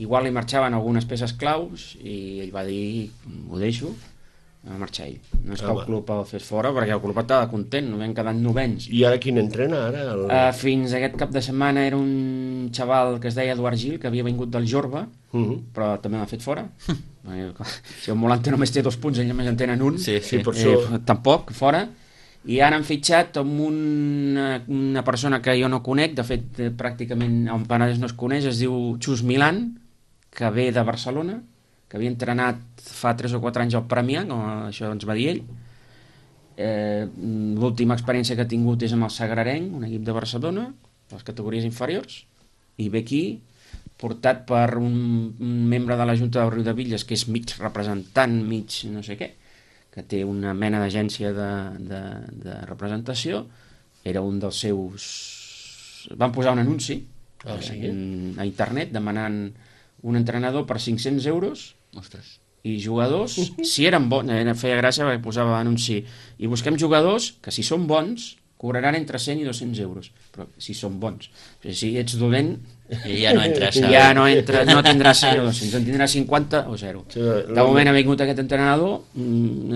igual li marxaven algunes peces claus, i ell va dir, ho deixo, va marxar ell. No és que el club el fes fora, perquè el club estava content, no havien quedat novens. I ara quin entrena? Ara el... uh, fins aquest cap de setmana era un xaval que es deia Eduard Gil, que havia vingut del Jorba, uh -huh. però també l'ha fet fora. Si el Molante només té dos punts, ell només en tenen un, sí, sí. Eh, això... tampoc, fora. I ara han fitxat amb una, una persona que jo no conec, de fet, eh, pràcticament el Penedès no es coneix, es diu Xus Milan, que ve de Barcelona, que havia entrenat fa tres o quatre anys al Premià, com això ens va dir ell. Eh, L'última experiència que ha tingut és amb el Sagrarenc, un equip de Barcelona, les categories inferiors, i ve aquí, portat per un, un membre de la Junta del Riudebitlles, que és mig representant, mig no sé què, que té una mena d'agència de, de, de representació, era un dels seus... Van posar un anunci ah, sí? en, a internet demanant un entrenador per cinc-cents euros. Ostres. I jugadors, si eren bons, feia gràcia perquè posava anunci, i busquem jugadors que si són bons cobraran entre cent i dos-cents euros, però si són bons. Si ets dolent, I ja no entres. Ja no, entra, no tindràs cent o dos-cents, en tindràs cinquanta o zero. De moment ha vingut aquest entrenador,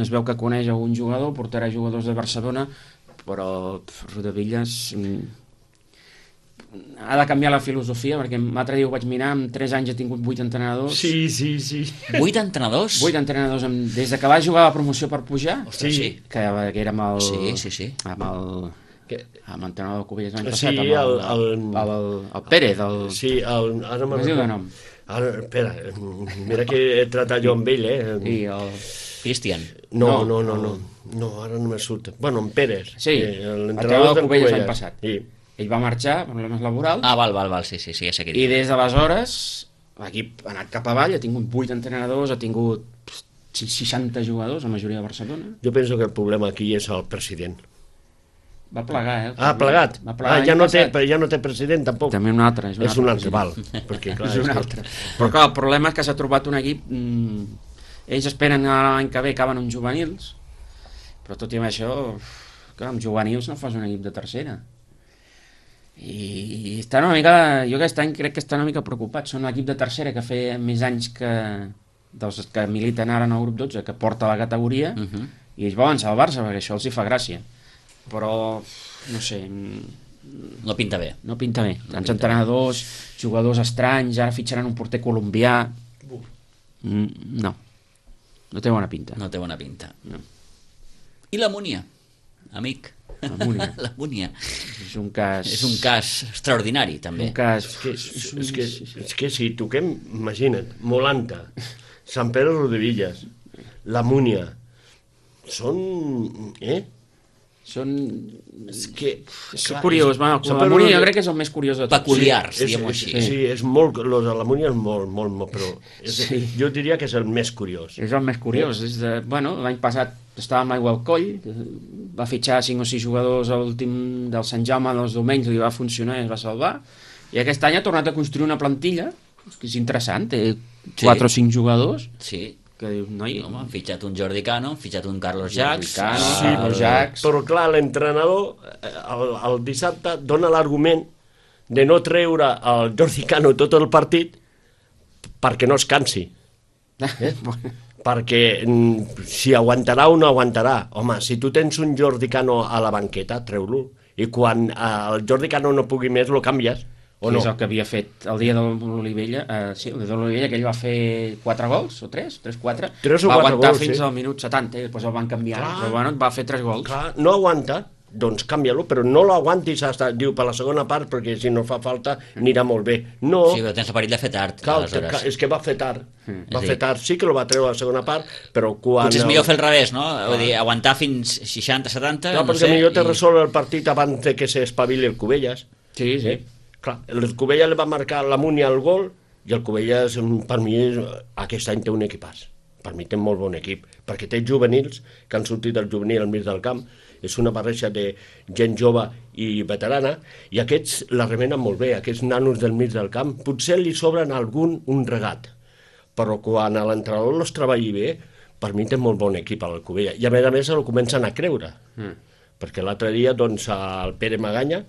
es veu que coneix algun jugador, portarà jugadors de Barcelona, però Riudebitlles ha de canviar la filosofia, perquè l'altre dia ho vaig mirar, en tres anys ha tingut vuit entrenadors. Sí, sí, sí. Vuit entrenadors? Vuit entrenadors, amb, des de que va jugar a la promoció per pujar, Ostres, sí. que, que era amb el... Sí, sí, sí. Amb el... Que... amb l'entrenador del Cubelles l'any sí, passat, amb el, el, el, el, el Pérez, el... Sí, el... Ara com es diu de nom? Ara, espera, mira que he tratat jo amb ell, eh? Sí, el... Cristian. No, no, no, no, no, no ara no me surt. Bueno, en Pérez. Sí, eh, l'entrenador del Cubelles l'any passat. Sí. Ell va marxar per problemes laborals. Ah, val, val, val, sí, sí, sí, ja sé què I des d'aleshores l'equip ha anat cap avall, ha tingut vuit entrenadors, ha tingut seixanta jugadors, la majoria de Barcelona. Jo penso que el problema aquí és el president. Va plegar, eh? Ah, plegat. Va plegar ah, ja no, té, ja no té president, tampoc. També un altre. És un és altre, un altre, val. Perquè, clar, és un altre. Però clar, el problema és que s'ha trobat un equip... Mmm, ells esperen l'any que ve acaben uns juvenils, però tot i amb això, clar, amb juvenils no fas un equip de tercera. I està una mica... Jo aquest any crec que està una mica preocupat. Són l'equip de tercera que feia més anys que... dels que militen ara en el grup dotze, que porta la categoria, uh -huh. i ells volen salvar-se, perquè això els hi fa gràcia. Però, no sé... No pinta bé. No pinta bé. Tants no entrenadors, jugadors estranys, ara fitxaran un porter colombià... Mm, no. No té bona pinta. No té bona pinta. No. I la Múnia, amic? La Múnia. La Múnia. És un cas... És un cas extraordinari, també. Un cas... És que, és, és, que, és que si toquem, imagina't, Molanta, Sant Pere Riudebitlles, la Múnia, són... Eh? Són... És que... És clar, curiós, és, va, la Múnia jo crec que és el més curiós de tot. Peculiars, sí, diguem-ho així. així. Sí, és molt... Los de la Múnia és molt, molt, molt, però... És, sí. Jo diria que és el més curiós. És el més curiós. És de, bueno, l'any passat estava amb l'aigua al coll, va fitxar cinc o sis jugadors a l'últim del Sant Jaume dels domenys, li va funcionar i es va salvar, i aquest any ha tornat a construir una plantilla, que és interessant, té quatre sí. o cinc jugadors, sí. que dius, noi... Home, han fitxat un Jordi Cano, han fitxat un Carlos Jax... Cano, sí, Carlos Jax... Però clar, l'entrenador el, el dissabte dona l'argument de no treure el Jordi Cano tot el partit perquè no es cansi. Eh? Perquè mm, si aguantarà o no aguantarà. Home, si tu tens un Jordi Cano a la banqueta, treu-lo. I quan eh, el Jordi Cano no pugui més, lo canvies. O que no? és el que havia fet el dia de l'Olivella, eh, sí, el dia de l'Olivella, que ell va fer quatre gols, o tres, tres, quatre, tres o va quatre aguantar gols, fins sí. al minut setanta, i després el van canviar, Clar. però bueno, va fer tres gols. Clar, no aguanta, doncs canvia-lo, però no l'aguantis hasta, diu, per la segona part, perquè si no fa falta anirà molt bé. No. Sí, però tens el perill de fer tard, Cal, aleshores. cal, és que va fer tard, Mm. va fer tard, sí que lo va treure a la segona part, però quan... Potser és millor fer el revés, no? Vull dir, aguantar fins seixanta setanta, Clar, no perquè sé... millor te i... resol el partit abans de que s'espavili el Cubelles. Sí, sí. Clar, el Cubelles li va marcar la Múnia el gol i el Cubelles, per mi, aquest any té un equipàs. Per mi té un molt bon equip, perquè té juvenils que han sortit del juvenil al mig del camp, és una barreja de gent jove i veterana, i aquests la remenen molt bé, aquests nanos del mig del camp. Potser li sobren algun un regat, però quan l'entrenador els treballi bé, per mi té molt bon equip al Cubelles, i a més a més el comencen a creure. Mm. perquè l'altre dia doncs, el Pere Maganya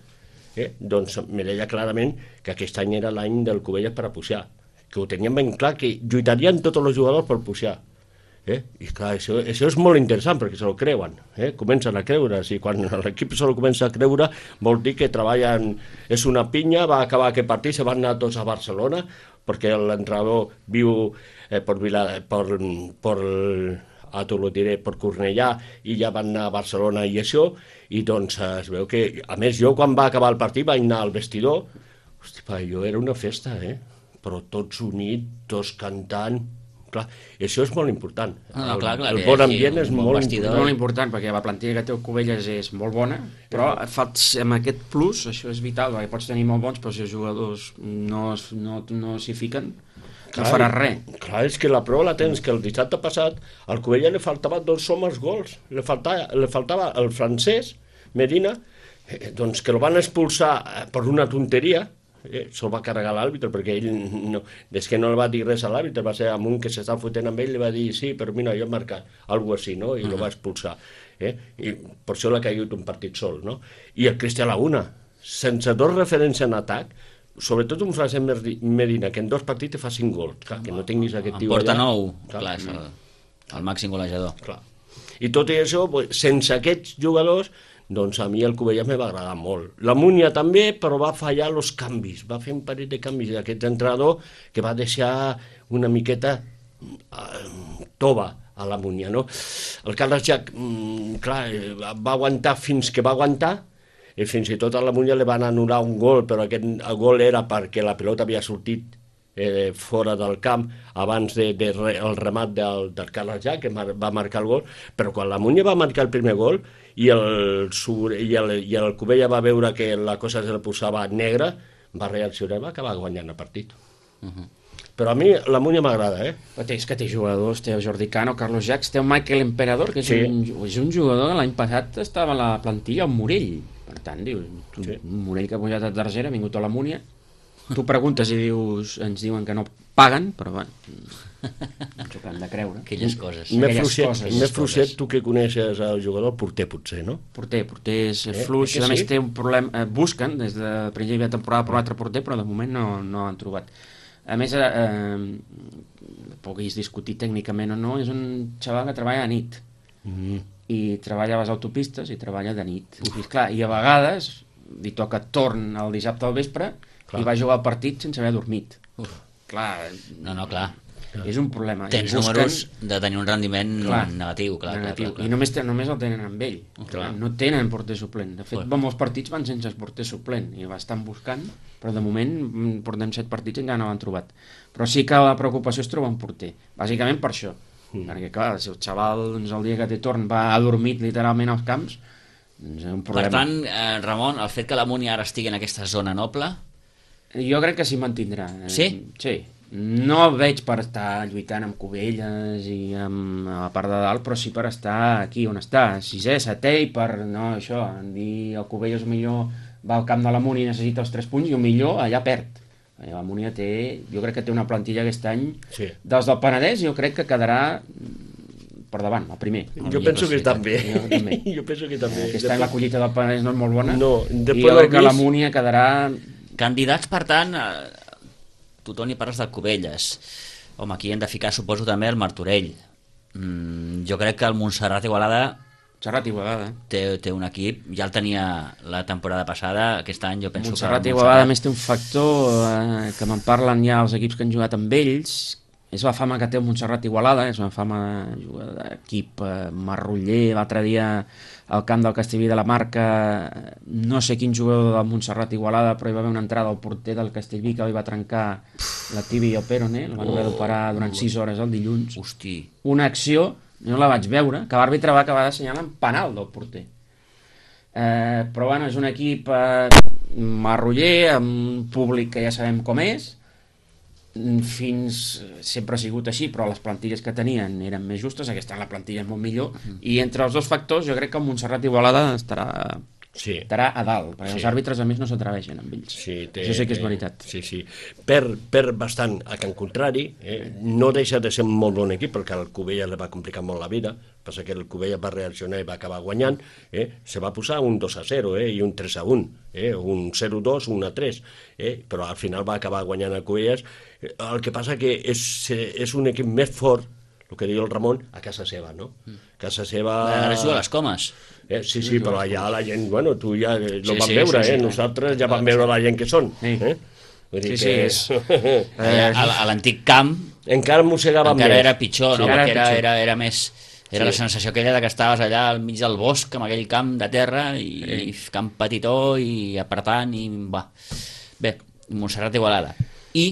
eh, doncs, me deia clarament que aquest any era l'any del Cubelles per a pujar, que ho tenien ben clar, que lluitarien tots els jugadors per pujar. Eh? I clar, això, això és molt interessant perquè se lo creuen, eh? Comencen a creure, i quan l'equip se lo comença a creure vol dir que treballen, és una pinya, va acabar aquest partit, se van anar tots a Barcelona perquè l'entrenador viu eh, per, Vila, per, per a tot lo diré, per Cornellà, i ja van anar a Barcelona i això, i doncs es veu que, a més jo quan va acabar el partit vaig anar al vestidor, hosti, pa, jo era una festa, eh? Però tots units, tots cantant, clar, això és molt important. No, no, clar, clar, el, el bon ambient és bon molt vestidor. important. Molt important, perquè la plantilla que té el Cubelles és molt bona, però fas, amb aquest plus, això és vital, perquè pots tenir molt bons, però si els jugadors no, no, no s'hi fiquen, no farà res. Clar, és que la prova la tens, que el dissabte passat al Cubelles li faltava dos homes gols, li faltava, li faltava el francès, Medina, eh, doncs que el van expulsar per una tonteria, eh, se'l va carregar l'àrbitre, perquè ell, no, des que no li va dir res a l'àrbitre, va ser amb un que s'està fotent amb ell, li va dir, sí, però mira, jo he marcat, alguna cosa així, no? I uh -huh. el va expulsar. Eh? I per això l'ha caigut un partit sol, no? I el Cristià Laguna, sense dos referents en atac, sobretot un Francesc Medina, que en dos partits te fa cinc gols, clar, que no tinguis aquest tio allà. En porta nou, clar, clar, és el, el màxim golejador. Clar. I tot i això, sense aquests jugadors, doncs a mi el Cubelles me va agradar molt. La Múnia també, però va fallar els canvis, va fer un parell de canvis d'aquest entrenador que va deixar una miqueta uh, tova a la Múnia, no? El Carles Jack, mm, clar, va aguantar fins que va aguantar, i fins i tot a la Múnia li van anul·lar un gol, però aquest el gol era perquè la pilota havia sortit eh, fora del camp abans del de, de, el remat del, del Carles Jack, que mar, va marcar el gol, però quan la Múnia va marcar el primer gol i el, i el, i el Cubelles va veure que la cosa se la posava negra, va reaccionar i va acabar guanyant el partit. Uh -huh. Però a mi la Múnia m'agrada, eh? Però té, és que té jugadors, té el Jordi Cano, Carlos Jacques, té el Michael Emperador, que és, sí. un, és un jugador que l'any passat estava a la plantilla amb Morell. Per tant, dius, tu, sí. un Morell que ha pujat a tercera, ha vingut a la Múnia, tu preguntes i dius, ens diuen que no paguen, però bueno, ens ho hem de creure. Aquelles coses. Més fluixet, fluixet, tu que coneixes el jugador, Porter potser, no? Porter, Porter és eh, fluix, a més sí? té un problema, eh, busquen des de principi de temporada per l'altre porter, però de moment no, no han trobat. A més, eh, eh, puguis discutir tècnicament o no, és un xaval que treballa a nit. Mm. I treballa a les autopistes i treballa de nit. I, clar, i a vegades li toca torn el dissabte al vespre, clar. I va jugar el partit sense haver dormit. Uf. Clar, no, no, clar. És un problema. Tens busquen... números de tenir un rendiment clar, negatiu, clar, negatiu. Clar, clar. I només, només el tenen amb ell. Clar. No tenen porter suplent. De fet, clar. molts partits van sense porter suplent i l'estan buscant, però de moment portem set partits i encara no l'han trobat. Però sí que la preocupació és trobar un porter. Bàsicament per això. Mm. Perquè, clar, si el xaval doncs, el dia que té torn va adormit literalment als camps, doncs és un problema. Per tant, eh, Ramon, el fet que la Múnia ara estigui en aquesta zona noble... Jo crec que s'hi mantindrà. Sí? Sí. No el veig per estar lluitant amb Cubelles i amb a la part de dalt, però sí per estar aquí on està, sisè, setè, i per, no, això, dir el Cubelles millor va al camp de la Múnia i necessita els tres punts i el millor allà perd. La Múnia té, jo crec que té una plantilla aquest any, sí. dels del Penedès, jo crec que quedarà per davant, el primer. Jo el penso que sí, també. Jo, també. jo penso que també. Aquest any la collita del Penedès no és molt bona, no, i jo crec que la Múnia quedarà... Candidats, per tant, eh, tu, Toni, parles del Cubelles. Home, aquí hem de ficar, suposo, també el Martorell. Mm, jo crec que el Montserrat Igualada... Montserrat Igualada. Té, té un equip, ja el tenia la temporada passada, aquest any jo penso Montserrat que... Montserrat Igualada, a més, té un factor eh, que me'n parlen ja els equips que han jugat amb ells, és la fama que té el Montserrat Igualada, és una fama d'equip eh, marroller. L'altre dia al camp del Castellví de la Marca, no sé quin jugador del Montserrat Igualada, però hi va haver una entrada al porter del Castellví que li va trencar la tibia i el peroné, el van haver d'operar durant sis hores el dilluns. Hosti. Una acció, no la vaig veure, que l'àrbitre va acabar d'assenyalar en penal del porter. Eh, però bueno, és un equip eh, marroller, amb un públic que ja sabem com és, fins sempre ha sigut així, però les plantilles que tenien eren més justes, aquesta la plantilla és molt millor, uh -huh. i entre els dos factors jo crec que el Montserrat Igualada estarà Sí. Estarà a dalt, perquè Sí. els àrbitres a més no s'atreveixen amb ells. Sí, té, Això sí que és té- veritat. Sí, sí. Per, per bastant a Can Contrari, eh, no deixa de ser un molt bon equip, perquè el Cubella li va complicar molt la vida, passa que el Cubella va reaccionar i va acabar guanyant, eh, se va posar un dos a zero eh, i un tres a un, eh, un zero a dos, un a tres, eh, però al final va acabar guanyant el Cubelles. El que passa que és, és un equip més fort, el que diu el Ramon, a casa seva, no? Casa seva... Ara juga a les Comes. Eh, sí, sí, però allà la gent, bueno, tu ja eh, lo Sí, vam sí, veure, sí, eh? sí. Nosaltres ja vam veure la gent que són. Sí. Eh? Vull dir Sí, que... sí, Allà, a, a l'antic camp Encara mossegava encara més. era pitjor, no? Sí, era Perquè era, pitjor. era, era més... Era Sí. la sensació aquella de que estaves allà al mig del bosc, amb aquell camp de terra, i, i camp petitó, i apretant, i va. Bé, Montserrat Igualada. I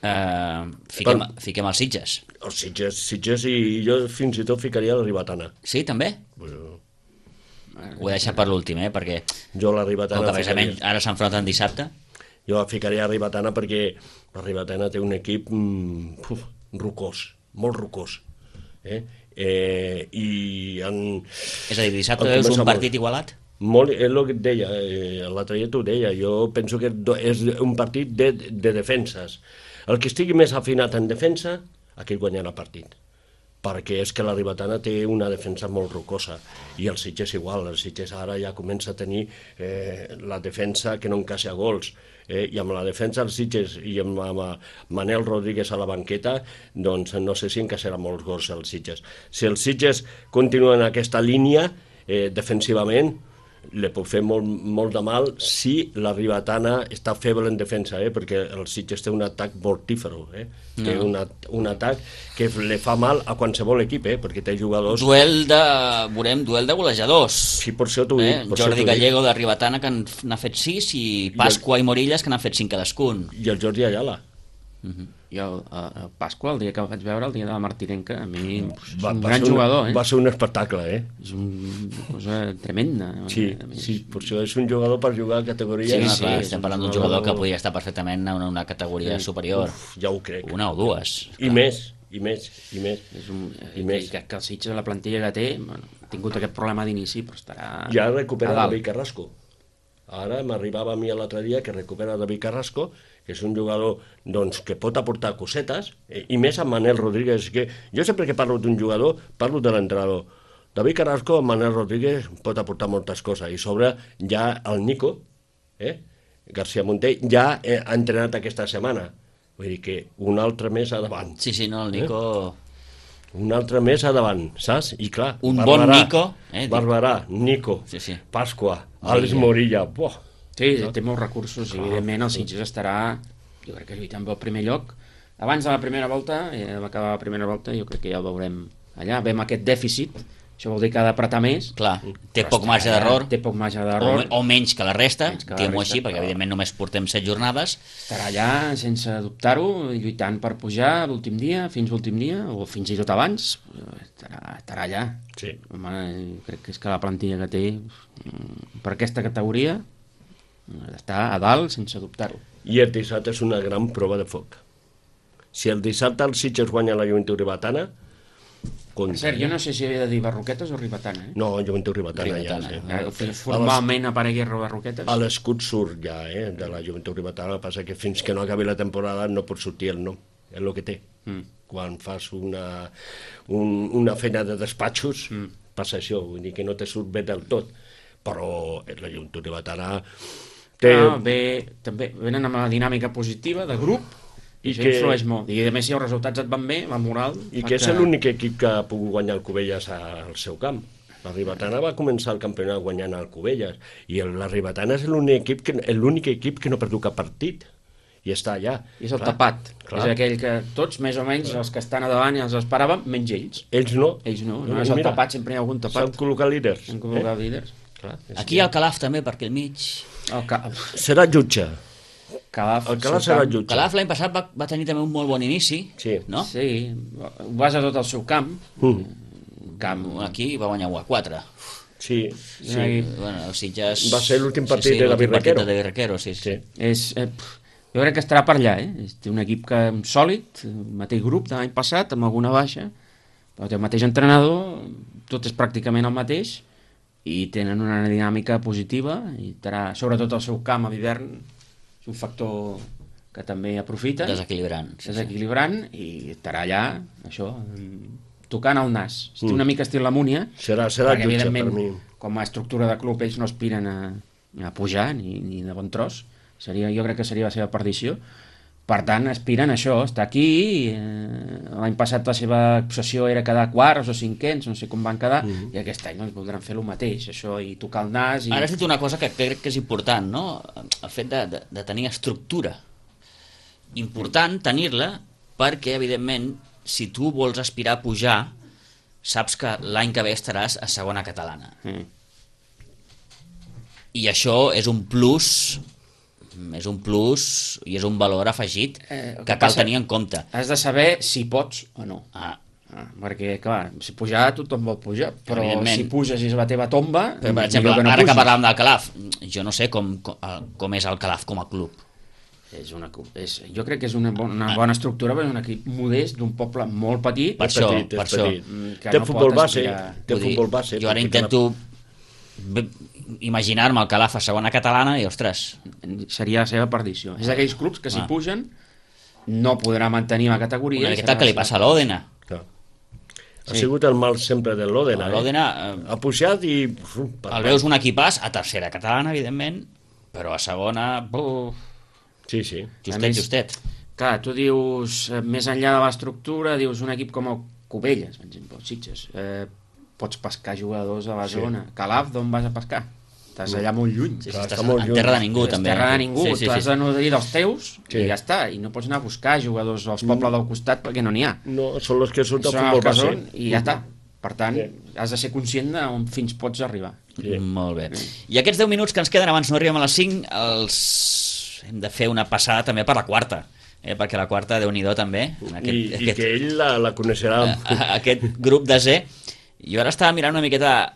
eh, fiquem, Però- fiquem els Sitges. Els Sitges, Sitges i jo fins i tot ficaria la Ribatana. Sí, també? Bueno, Ho he deixat per l'últim, eh? Perquè jo la com Ribatana... que precisament ficaria, ara s'enfronten dissabte. jo la ficaria a Ribatana perquè la Ribatana té un equip mm, uf, rocós, molt rocós. Eh? Eh, i en, És a dir, dissabte en és comença un molt. partit igualat? Molt, és el que et deia, eh, l'altre dia t'ho deia, jo penso que do- és un partit de, de defenses. El que estigui més afinat en defensa, aquell guanyarà el partit. Perquè és que la Ribatana té una defensa molt rocosa, i el Sitges igual, el Sitges ara ja comença a tenir eh, la defensa que no encaixa gols, eh, i amb la defensa del Sitges i amb, amb Manel Rodríguez a la banqueta, doncs no sé si encaixarà molts gols el Sitges. Si el Sitges continua en aquesta línia, eh, defensivament, li pot fer molt, molt de mal si la Ribatana està feble en defensa, eh? Perquè el Sitges té un atac mortífero, eh? No. Té un, at un atac que li fa mal a qualsevol equip, eh? Perquè té jugadors... Duel de... veurem, duel de golejadors. Sí, per això t'ho Eh? dic. Per això Jordi t'ho dic. Gallego de Ribatana, que n'ha fet sis, i Pasqua i Morillas, que n'han fet cinc cadascun. I el Jordi Ayala. Jo, a, a Pasqua, el dia que el vaig veure, el dia de la Martinenca, a mi és Va, un va gran ser un- jugador, eh? Va ser un espectacle, eh? És un- una cosa tremenda. Sí, A mi és- sí, per això és un jugador per jugar a categoria... Sí, no, sí, clar, és estem un parlant d'un jugador- jugador que podria estar perfectament en una, una categoria superior. Uf, ja ho crec. Una o dues. I més, i més, i més. És un, I I més. que, que el Sitges, la plantilla que té, bueno, ha tingut aquest problema d'inici, però estarà Ja recupera a dalt. David Carrasco. Ara m'arribava a mi l'altre dia que recupera David Carrasco, que és un jugador doncs, que pot aportar cosetes, eh, i més amb Manel Rodríguez, que jo sempre que parlo d'un jugador, parlo de l'entrenador. David Carrasco amb Manel Rodríguez pot aportar moltes coses, i sobre ja el Nico, eh, García Monté, ja eh, ha entrenat aquesta setmana. Vull dir que un altre més a davant. Sí, sí, no, el Nico... Un altre més a davant, saps? I clar, Un bon Nico, eh, dic. Barberà, Nico, Sí, sí. Pasqua, Àlex Morilla, buah. Sí, té molts recursos i evidentment el Sitges estarà, jo crec que lluitant pel primer lloc. Abans de la primera volta, eh, acabar la primera volta, jo crec que ja ho veurem allà. Vem aquest dèficit, això vol dir que ha d'apretar més. Clar, té però poc estarà marge allà, d'error, Té poc marge o, d'error. me- o menys que la resta, Menys que la diguem-ho resta, així, perquè però- evidentment només portem set jornades. Estarà allà sense dubtar-ho, lluitant per pujar l'últim dia, fins l'últim dia, o fins i tot abans. Estarà, estarà allà. Sí. Home, crec que és que la plantilla que té mm, per aquesta categoria està a dalt sense dubtar-ho. I el dissabte és una gran prova de foc. Si el dissabte el Sitges guanya la Joventut Ribatana, Per cert, jo no sé si havia de dir Barroquetes o Ribatana, eh? no, Joventut Ribatana, Ribatana, ja, eh? sí. Que formalment aparegui Barroquetes. A l'escut surt ja, eh, de la Joventut Ribatana, el que passa que fins que no acabi la temporada no pot sortir el nom, és el que té. Mm. Quan fas una, un, una feina de despatxos, Mm. passa això, vull dir que no te surt bé del tot, però la Joventut Ribatana té... Ah, bé, també venen amb la dinàmica positiva de grup i, I això que- influeix molt. I a més, si els resultats et van bé, la moral... I fa que és l'únic equip que ha pogut guanyar el Cubelles al seu camp. La Ribatana va començar el campionat guanyant el Cubelles, i el, la Ribatana és l'únic equip, que, l'únic equip que no ha perdut cap partit, i està allà. I és el Clar, tapat. clar. És aquell que tots, més o menys, els que estan a davant ja els esperàvem, menys ells. Ells no. Ells no, no és el Mira, tapat, sempre hi ha algun S'han tapat. col·locat líders. Han col·locat líders. Clar, és Aquí hi ha el Calaf també, perquè al mig... El ca... Serà jutge. Calaf, El Calaf seu serà camp. jutge. Calaf l'any passat va, va tenir també un molt bon inici, Sí. no? Sí, ho basa tot al seu camp. Mm. camp. Aquí va guanyar u a quatre. Sí, Sí. sí. Bueno, el Sitges... Va ser l'últim partit de l'últim David partit Requero. de David Requero, sí, sí. Sí. És, eh, pf, jo crec que estarà per allà, eh? Té un equip que sòlid, el mateix grup de l'any passat, amb alguna baixa, però té el mateix entrenador, tot és pràcticament el mateix, i tenen una dinàmica positiva, i terà, sobretot el seu camp a l'hivern és un factor que també aprofita. Desequilibrant. Sí, desequilibrant, sí. I estarà allà, això, tocant el nas. Estic mm. una mica estil la Múnia, serà, serà perquè jutge, evidentment, per mi. Com a estructura de club, ells no aspiren a, a pujar, ni, ni de bon tros. Seria, jo crec que seria la seva perdició. Per tant, aspiren a això, estar aquí. Eh, l'any passat la seva obsessió era quedar quarts o cinquens, no sé com van quedar, mm. i aquest any doncs, voldran fer el mateix, això, i tocar el nas. I... Ara has dit una cosa que crec que és important, no? El fet de, de, de tenir estructura. Important tenir-la perquè, evidentment, si tu vols aspirar a pujar, saps que l'any que ve estaràs a segona catalana. Mm. I això és un plus... és un plus i és un valor afegit eh, que, que cal tenir en compte. Has de saber si pots o no. Ah. Ah, perquè, clar, si pujar tothom vol pujar, però si puges i és la teva tomba... Però, per exemple, que no ara pugis. Que parlàvem del Calaf, jo no sé com, com, com és el Calaf com a club. És una, és, jo crec que és una bona, una bona estructura, però és un equip modest d'un poble molt petit. Per això, petit, per això. Que té no futbol base, té futbol base. Jo ara intento... La... imaginar-me el Calaf a segona catalana i, ostres... Seria la seva perdició. És d'aquells clubs que si ah. pugen no podrà mantenir la categoria. Una miqueta que li passa a l'Òdena. Ha sí. sigut el mal sempre de l'Òdena. L'Òdena... Eh? Ha pujat i... El veus un equipàs a tercera catalana, evidentment, però a segona... Buf, sí, sí. Justet, més, justet. Clar, tu dius, més enllà de l'estructura, dius un equip com el Cubelles, per exemple, Sitges, eh, pots pescar jugadors a la sí. zona. Calaf, d'on vas a pescar? Estàs allà molt lluny. Sí, sí, estàs en terra de ningú, també. En terra de ningú, sí, sí, tu has de nodrir dels teus sí. i ja està. I no pots anar a buscar jugadors als pobles del costat perquè no n'hi ha. No, són els que són del futbol base. I ja està. Per tant, sí. has de ser conscient d'on fins pots arribar. Sí. Molt bé. I aquests deu minuts que ens queden abans no arribem a les cinc, els hem de fer una passada també per la quarta. Eh, perquè la quarta, Déu-n'hi-do també. En aquest, I, aquest, I que ell la, la coneixerà. Aquest grup de Z. Jo ara estava mirant una miqueta,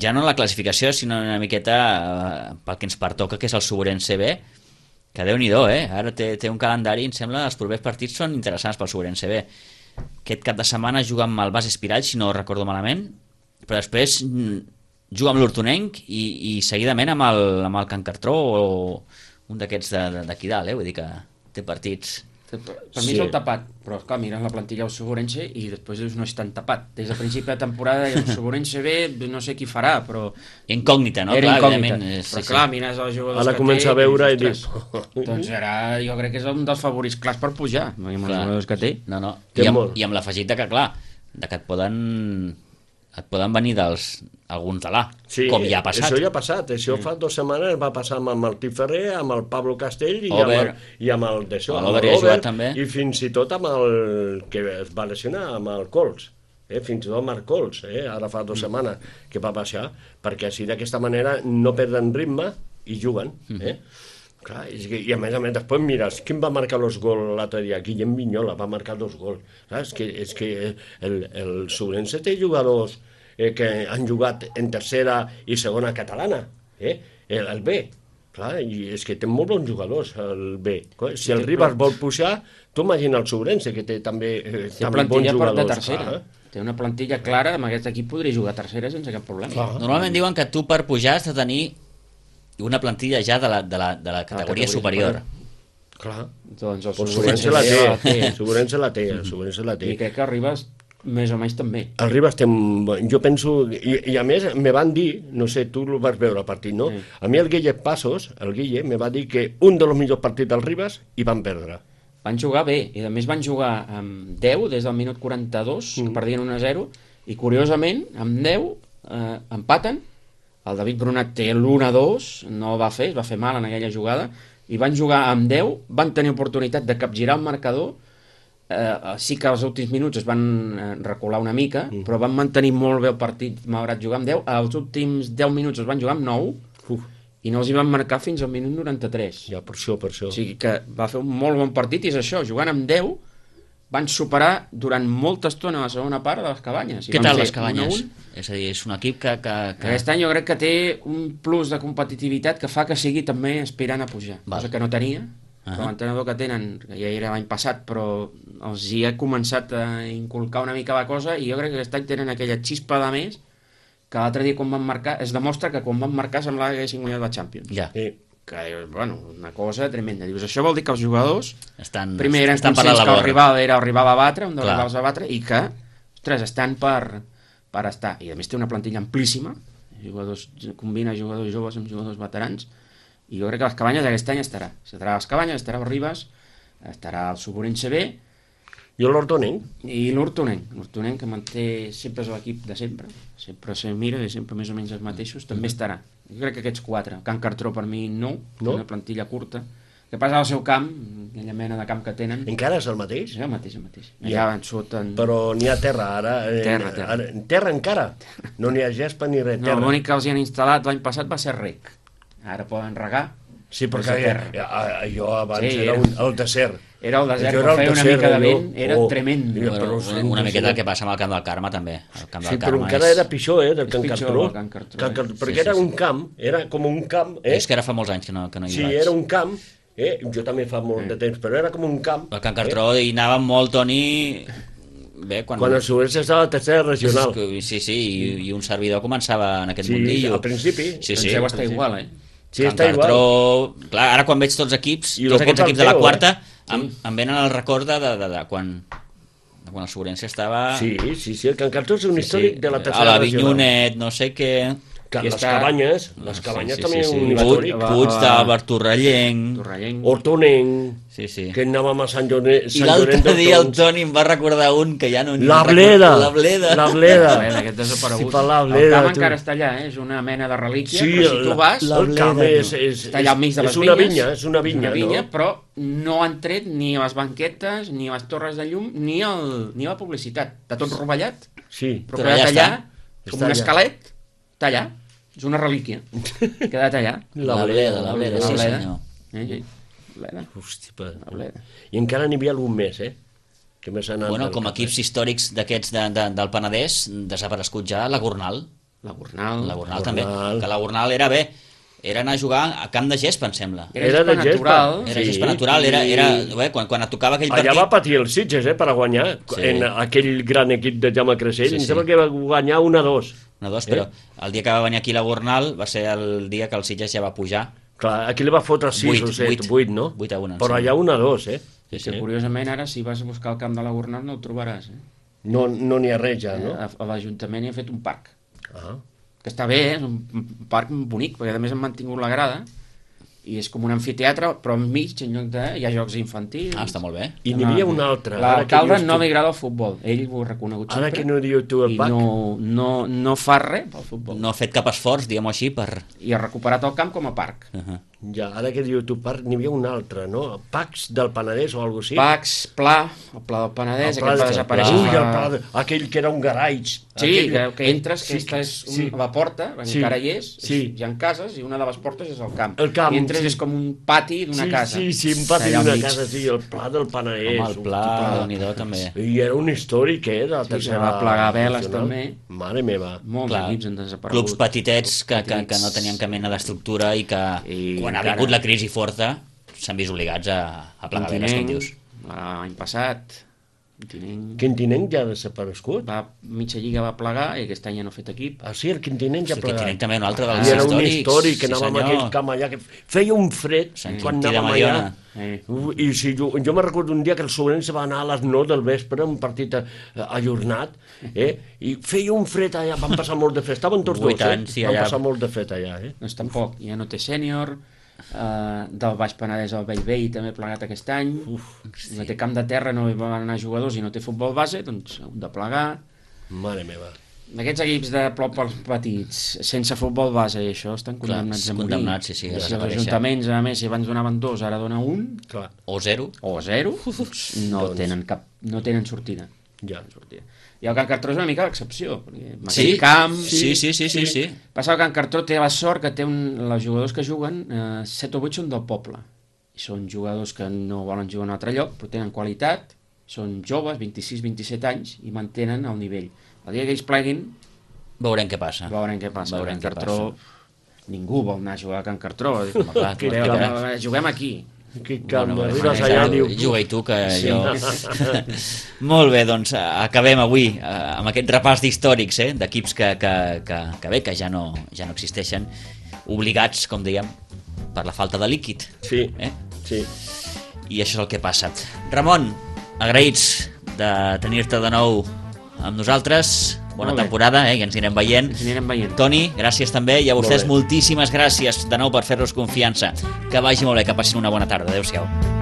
ja no la classificació, sinó una miqueta eh, pel que ens pertoca, que és el Suburense B, que Déu-n'hi-do, eh? Ara té, té un calendari, em sembla, els propers partits són interessants pel Suburense B. Aquest cap de setmana juga amb el Bas Espirall, si no recordo malament, però després juga amb l'Hortonenc i, i seguidament amb el, amb el Can Cartró o un d'aquests d'aquí dalt, eh? Vull dir que té partits... Per, per sí. mi és el tapat, però clar, mires la plantilla del Suburense i després dius no és tan tapat. Des de principi de temporada el Suburense B no sé qui farà, però... Incògnita, no? Era clar, incògnita, és, però sí, clar, sí. mires els jugadors ara que comença té... a veure i dius... Doncs ara jo crec que és un dels favorits clars per pujar, amb els jugadors que té. No, no. I amb, i amb l'afegit de que, clar, de que et poden... et poden venir dels alguns de l'A, sí, com ja ha passat. Això ja ha passat, això mm. fa dues setmanes va passar amb el Martí Ferrer, amb el Pablo Castell i, amb el, i amb el d'això, amb l'Over, i fins i tot amb el que es va lesionar, amb el Cols, eh? fins i tot Marc Cols, eh? ara fa dues mm. setmanes que va baixar, perquè així d'aquesta manera no perden ritme i juguen. Eh? Mm. Clar, i, i a més a més després mires quin va marcar els gols l'altre dia. Guillem Vignola va marcar dos gols. És que, és que el, el Suburense té jugadors eh, que han jugat en tercera i segona catalana, eh? el, el B. Clar, i és que té molt bons jugadors el B. Si el Ribas vol pujar, tu imagina el Suburense que té també, eh, té també bons jugadors. De tercera. Clar, eh? Té una plantilla clara, amb aquest equip podria jugar a tercera sense cap problema. Clar. Normalment diuen que tu per pujar has de tenir una plantilla ja de la, de la, de la categoria, categoria superior. superior. Clar. Doncs el Suburense la té, el Suburense la té, el Suburense la té. I crec que Ribas més o menys també. El Ribas té, jo penso, i, i a més me van dir, no sé, tu el vas veure el partit, no? Sí. A mi el Guille Passos, el Guille, me va dir que un dels millors partits del Ribas i van perdre. Van jugar bé, i a més van jugar amb deu des del minut quaranta-dos, mm. que perdien un a zero, i curiosament, amb deu eh, empaten. El David Brunat té l'u a dos, no va fer, es va fer mal en aquella jugada, i van jugar amb deu, van tenir oportunitat de capgirar el marcador, eh, sí que als últims minuts es van recular una mica, mm. però van mantenir molt bé el partit, malgrat jugar amb deu, als últims deu minuts es van jugar amb nou, Uf. i no els hi van marcar fins al minut noranta-tres. Ja, per això, per això. O sigui que va fer un molt bon partit, i és això, jugant amb deu, van superar durant molta estona la segona part de les Cabanyes. Què tal les Cabanyes? És a dir, és un equip que, que, que... Aquest any jo crec que té un plus de competitivitat que fa que sigui també aspirant a pujar, Val. cosa que no tenia. Uh -huh. Com l'entrenador que tenen, que ja era l'any passat, però els hi ha començat a inculcar una mica la cosa, i jo crec que aquest any tenen aquella xispa de més que l'altre dia quan van marcar, es demostra que quan van marcar semblava que haguessin guanyat la Champions. Ja. Sí. Que, bueno, una cosa tremenda. Dius, això vol dir que els jugadors Estan, primer eren estan per conscients la que el labor. rival era el rival a batre, un dels Clar. rivals a batre, i que, ostres, estan per, per estar. I a més té una plantilla amplíssima, jugadors, combina jugadors joves amb jugadors veterans, i jo crec que les Cabanyes aquest any estarà. Estarà a les Cabanyes, estarà el Ribas, estarà el Suburense B, Jo l'Hortonenc. i l'Hortonenc, l'Hortonenc que manté sempre és l'equip de sempre, sempre se mira i sempre més o menys els mateixos, també estarà. Jo crec que aquests quatre, Can Cartró per mi no, No? una plantilla curta. Que passa al seu camp, aquella mena de camp que tenen, Encara és el mateix? és el mateix, el mateix. Ja. Allà en sota... En... Però n'hi ha terra ara. eh, Terra, terra. Ara, terra encara. No n'hi ha gespa ni res, No, terra. l'únic que els hi han instal·lat l'any passat va ser rec. Ara poden regar. Sí, però perquè és a terra. eh, eh, jo abans Sí, era era- un, el desert. Era el desert, Jo però el feia una desert, mica de allò. vent, era Oh, tremend. mira, Bueno, però una, una miqueta el que passa amb el camp del Carme, també. El camp del Sí, però Carme encara és... era pitjor, eh, del És Can pitjor Cartró. el Can Cartró, Can eh? Cartró, Sí, perquè sí, era sí. un camp, era com un camp, eh? És que ara fa molts anys que no, que no hi Sí, vaig. era un camp, eh? Jo també fa molt de temps, però era com un camp. El Can Cartró hi anava molt, Toni... Bé, quan... Quan el Subense estava a la tercera regional. Sí, sí, i, i un servidor començava en aquest Sí, mundillo. al principi. Sí, Sí, sí. Penseu està igual, eh? Sí, Can està igual. Cartró... Clar, ara quan veig tots equips, I tots lo aquests porta equips de la el Teo, quarta, eh? em, em venen el record de, de, de, de quan, de quan el Sobrense estava... Sí, sí, sí, el Can Cartró és un Sí, històric sí. de la A tercera la regional. Vinyonet, no sé què... Que I les està- cabanyes, les cabanyes sí, també sí, sí. un I va- històric. va- Puig d'Àlvar Torrellenc... Torrellenc. Hortonenc, Sí, sí. que anàvem a Sant Llorenç. I Sant l'altre Llorenç dia el d'Hortons. Toni em va recordar un que ja no... ni La em Bleda. recordo. La Bleda. La Bleda. Bleda, aquest desaparegut. Sí, per la el Bleda, camp tu. encara està allà, eh? És una mena de relíquia, Sí, però si tu la- vas... la- el camp Bleda, és, tu. és, Està allà al mig de les és una vinyes. vinya, és una vinya, una vinya no? però no han tret ni les banquetes, ni les torres de llum, ni, el, ni la publicitat. Està tot rovellat, Sí. però, Però quedat ja allà, està. com Està un allà. esquelet, està allà. És una relíquia. Quedat allà. La Bleda, la Bleda, sí La Bleda. senyor. Eh, sí. Bleda. Hosti, pa. La Bleda. I encara n'hi havia algun més, eh? Que més ha anat Bueno, del com a cap, equips històrics d'aquests de, de, del Penedès, desaparegut ja la Gornal. La Gornal. La Gornal Gornal. també. Que la Gornal era bé. Era anar a jugar a camp de gespa, em sembla. Era, Era gespa de gespa. natural. Era Sí, gespa natural, era, i- era, bé, quan, quan et tocava aquell Allà partit... va patir els Sitges, eh, per a guanyar, Sí. en aquell gran equip de Jaume Creixell. Sí, Em sí. sembla que va guanyar un a dos. Una, dos, però el dia que va venir aquí la Gornal va ser el dia que el Sitges ja va pujar. Clar, aquí li va fotre sis Vuit, o set, vuit. vuit, no? Vuit a un, em Però sembla. allà un a dos, eh? Sí, que curiosament ara si vas a buscar el camp de la Gornal no el trobaràs. Eh? No n'hi no ha res ja, no? A, a l'Ajuntament hi ha fet un parc. Ah. Que està bé, eh? És un un parc bonic, perquè a més han mantingut la grada i és com un amfiteatre, però enmig, en lloc de... hi ha jocs infantils. Ah, està molt bé. I n'hi havia un altre. ara que L'alcalde dius no tu- li agrada el futbol, ell ho ha reconegut Ara sempre. que no diu tu el I Pac, no, no, no fa res pel futbol. No ha fet cap esforç, diguem-ho així, per... I ha recuperat el camp com a parc. Uh -huh. ja, ara que diu tu Parc, n'hi havia un altre, no? Pacs del Penedès o alguna cosa així? Pacs, Pla, el Pla del Penedès, El Pla aquest va de- desaparèixer. Ui, fa- el Pla de... aquell que era un garatge. Sí, aquell... que, que entres, Sí, que aquesta és un, sí. la porta, Sí. encara hi és, Sí. hi ha cases, i una de les portes és el camp. El camp, I entres sí. és com un pati d'una sí, casa. Sí, sí, un pati Allà al d'una mig. casa, sí, el Pla del Penedès. Home, el pla, déu-n'hi-do, també. I era un històric, eh, de la Sí, que tercera... va plegar veles, nacional. també. Mare meva. Molts Clar, equips han desaparegut. clubs petitets que, Clubs que, que petits. no tenien cap mena d'estructura i que I quan ha encara- vingut la crisi forta s'han vist obligats a, a plegar veles, com dius. L'any passat, Quintinenc Quintinenc ja ha desaparegut? va, mitja lliga va plegar i aquest any ja no ha fet equip. Ah, sí, el Quintinenc ja Sí, ha plegat. Quintinenc també, un altre Ah, dels I era un històrics. històric, que sí, anàvem a senyor. aquell camp allà, que feia un fred Sant quan Quintí de anàvem allà. Mediona. Eh. Uh, I si jo, jo me recordo un dia que el Sobrense va anar a les nou del vespre, un partit eh, ajornat, eh? I feia un fred allà, van passar molt de fred, estaven tots Vuit dos, eh? anys, sí, van allà. passar molt de fred allà, eh? Doncs tampoc, ja no té sènior, uh, del Baix Penedès al Bellvei també ha plegat aquest any, Uf, sí. No té camp de terra, no hi van anar jugadors i no té futbol base, doncs han de plegar. Mare meva. Aquests equips de plops petits, sense futbol base i això, estan condemnats a morir. condemnats, sí, sí, a si els desaparèixer. ajuntaments, a més, si abans donaven dos, ara donen un, Clar, O zero. o zero, no, Doncs- tenen cap, no tenen sortida. ja. sortida. I el Can Cartró és una mica l'excepció, perquè amb Sí, aquell camp... sí, sí, sí, sí, sí. Passa que el Can Cartró té la sort que té un, els jugadors que juguen, eh, set o vuit són del poble. I són jugadors que no volen jugar en un altre lloc, però tenen qualitat, són joves, vint-i-sis vint-i-set anys, i mantenen el nivell. El dia que ells pleguin, Veurem què passa. veurem què passa. Veurem Can què Cartró, ningú vol anar a jugar a Can Cartró. Dic, home, clar, Que veu, clar. veu, juguem aquí. Que quan Bueno, arribes ja, allà tu- diu... juga-hi tu, que Sí. jo... Molt bé, doncs acabem avui eh, amb aquest repàs d'històrics, eh, d'equips que, que, que, que bé, que ja no, ja no existeixen, obligats, com dèiem, per la falta de líquid. Sí, Eh? sí. I això és el que passa. Ramon, agraïts de tenir-te de nou amb nosaltres. Bona Molt bé. temporada, eh, i ens anirem veient. Ens anirem veient. Toni, gràcies també, i a Molt vostès bé. moltíssimes gràcies de nou per fer-nos confiança. Que vagi molt bé, que passin una bona tarda. Adéu-siau.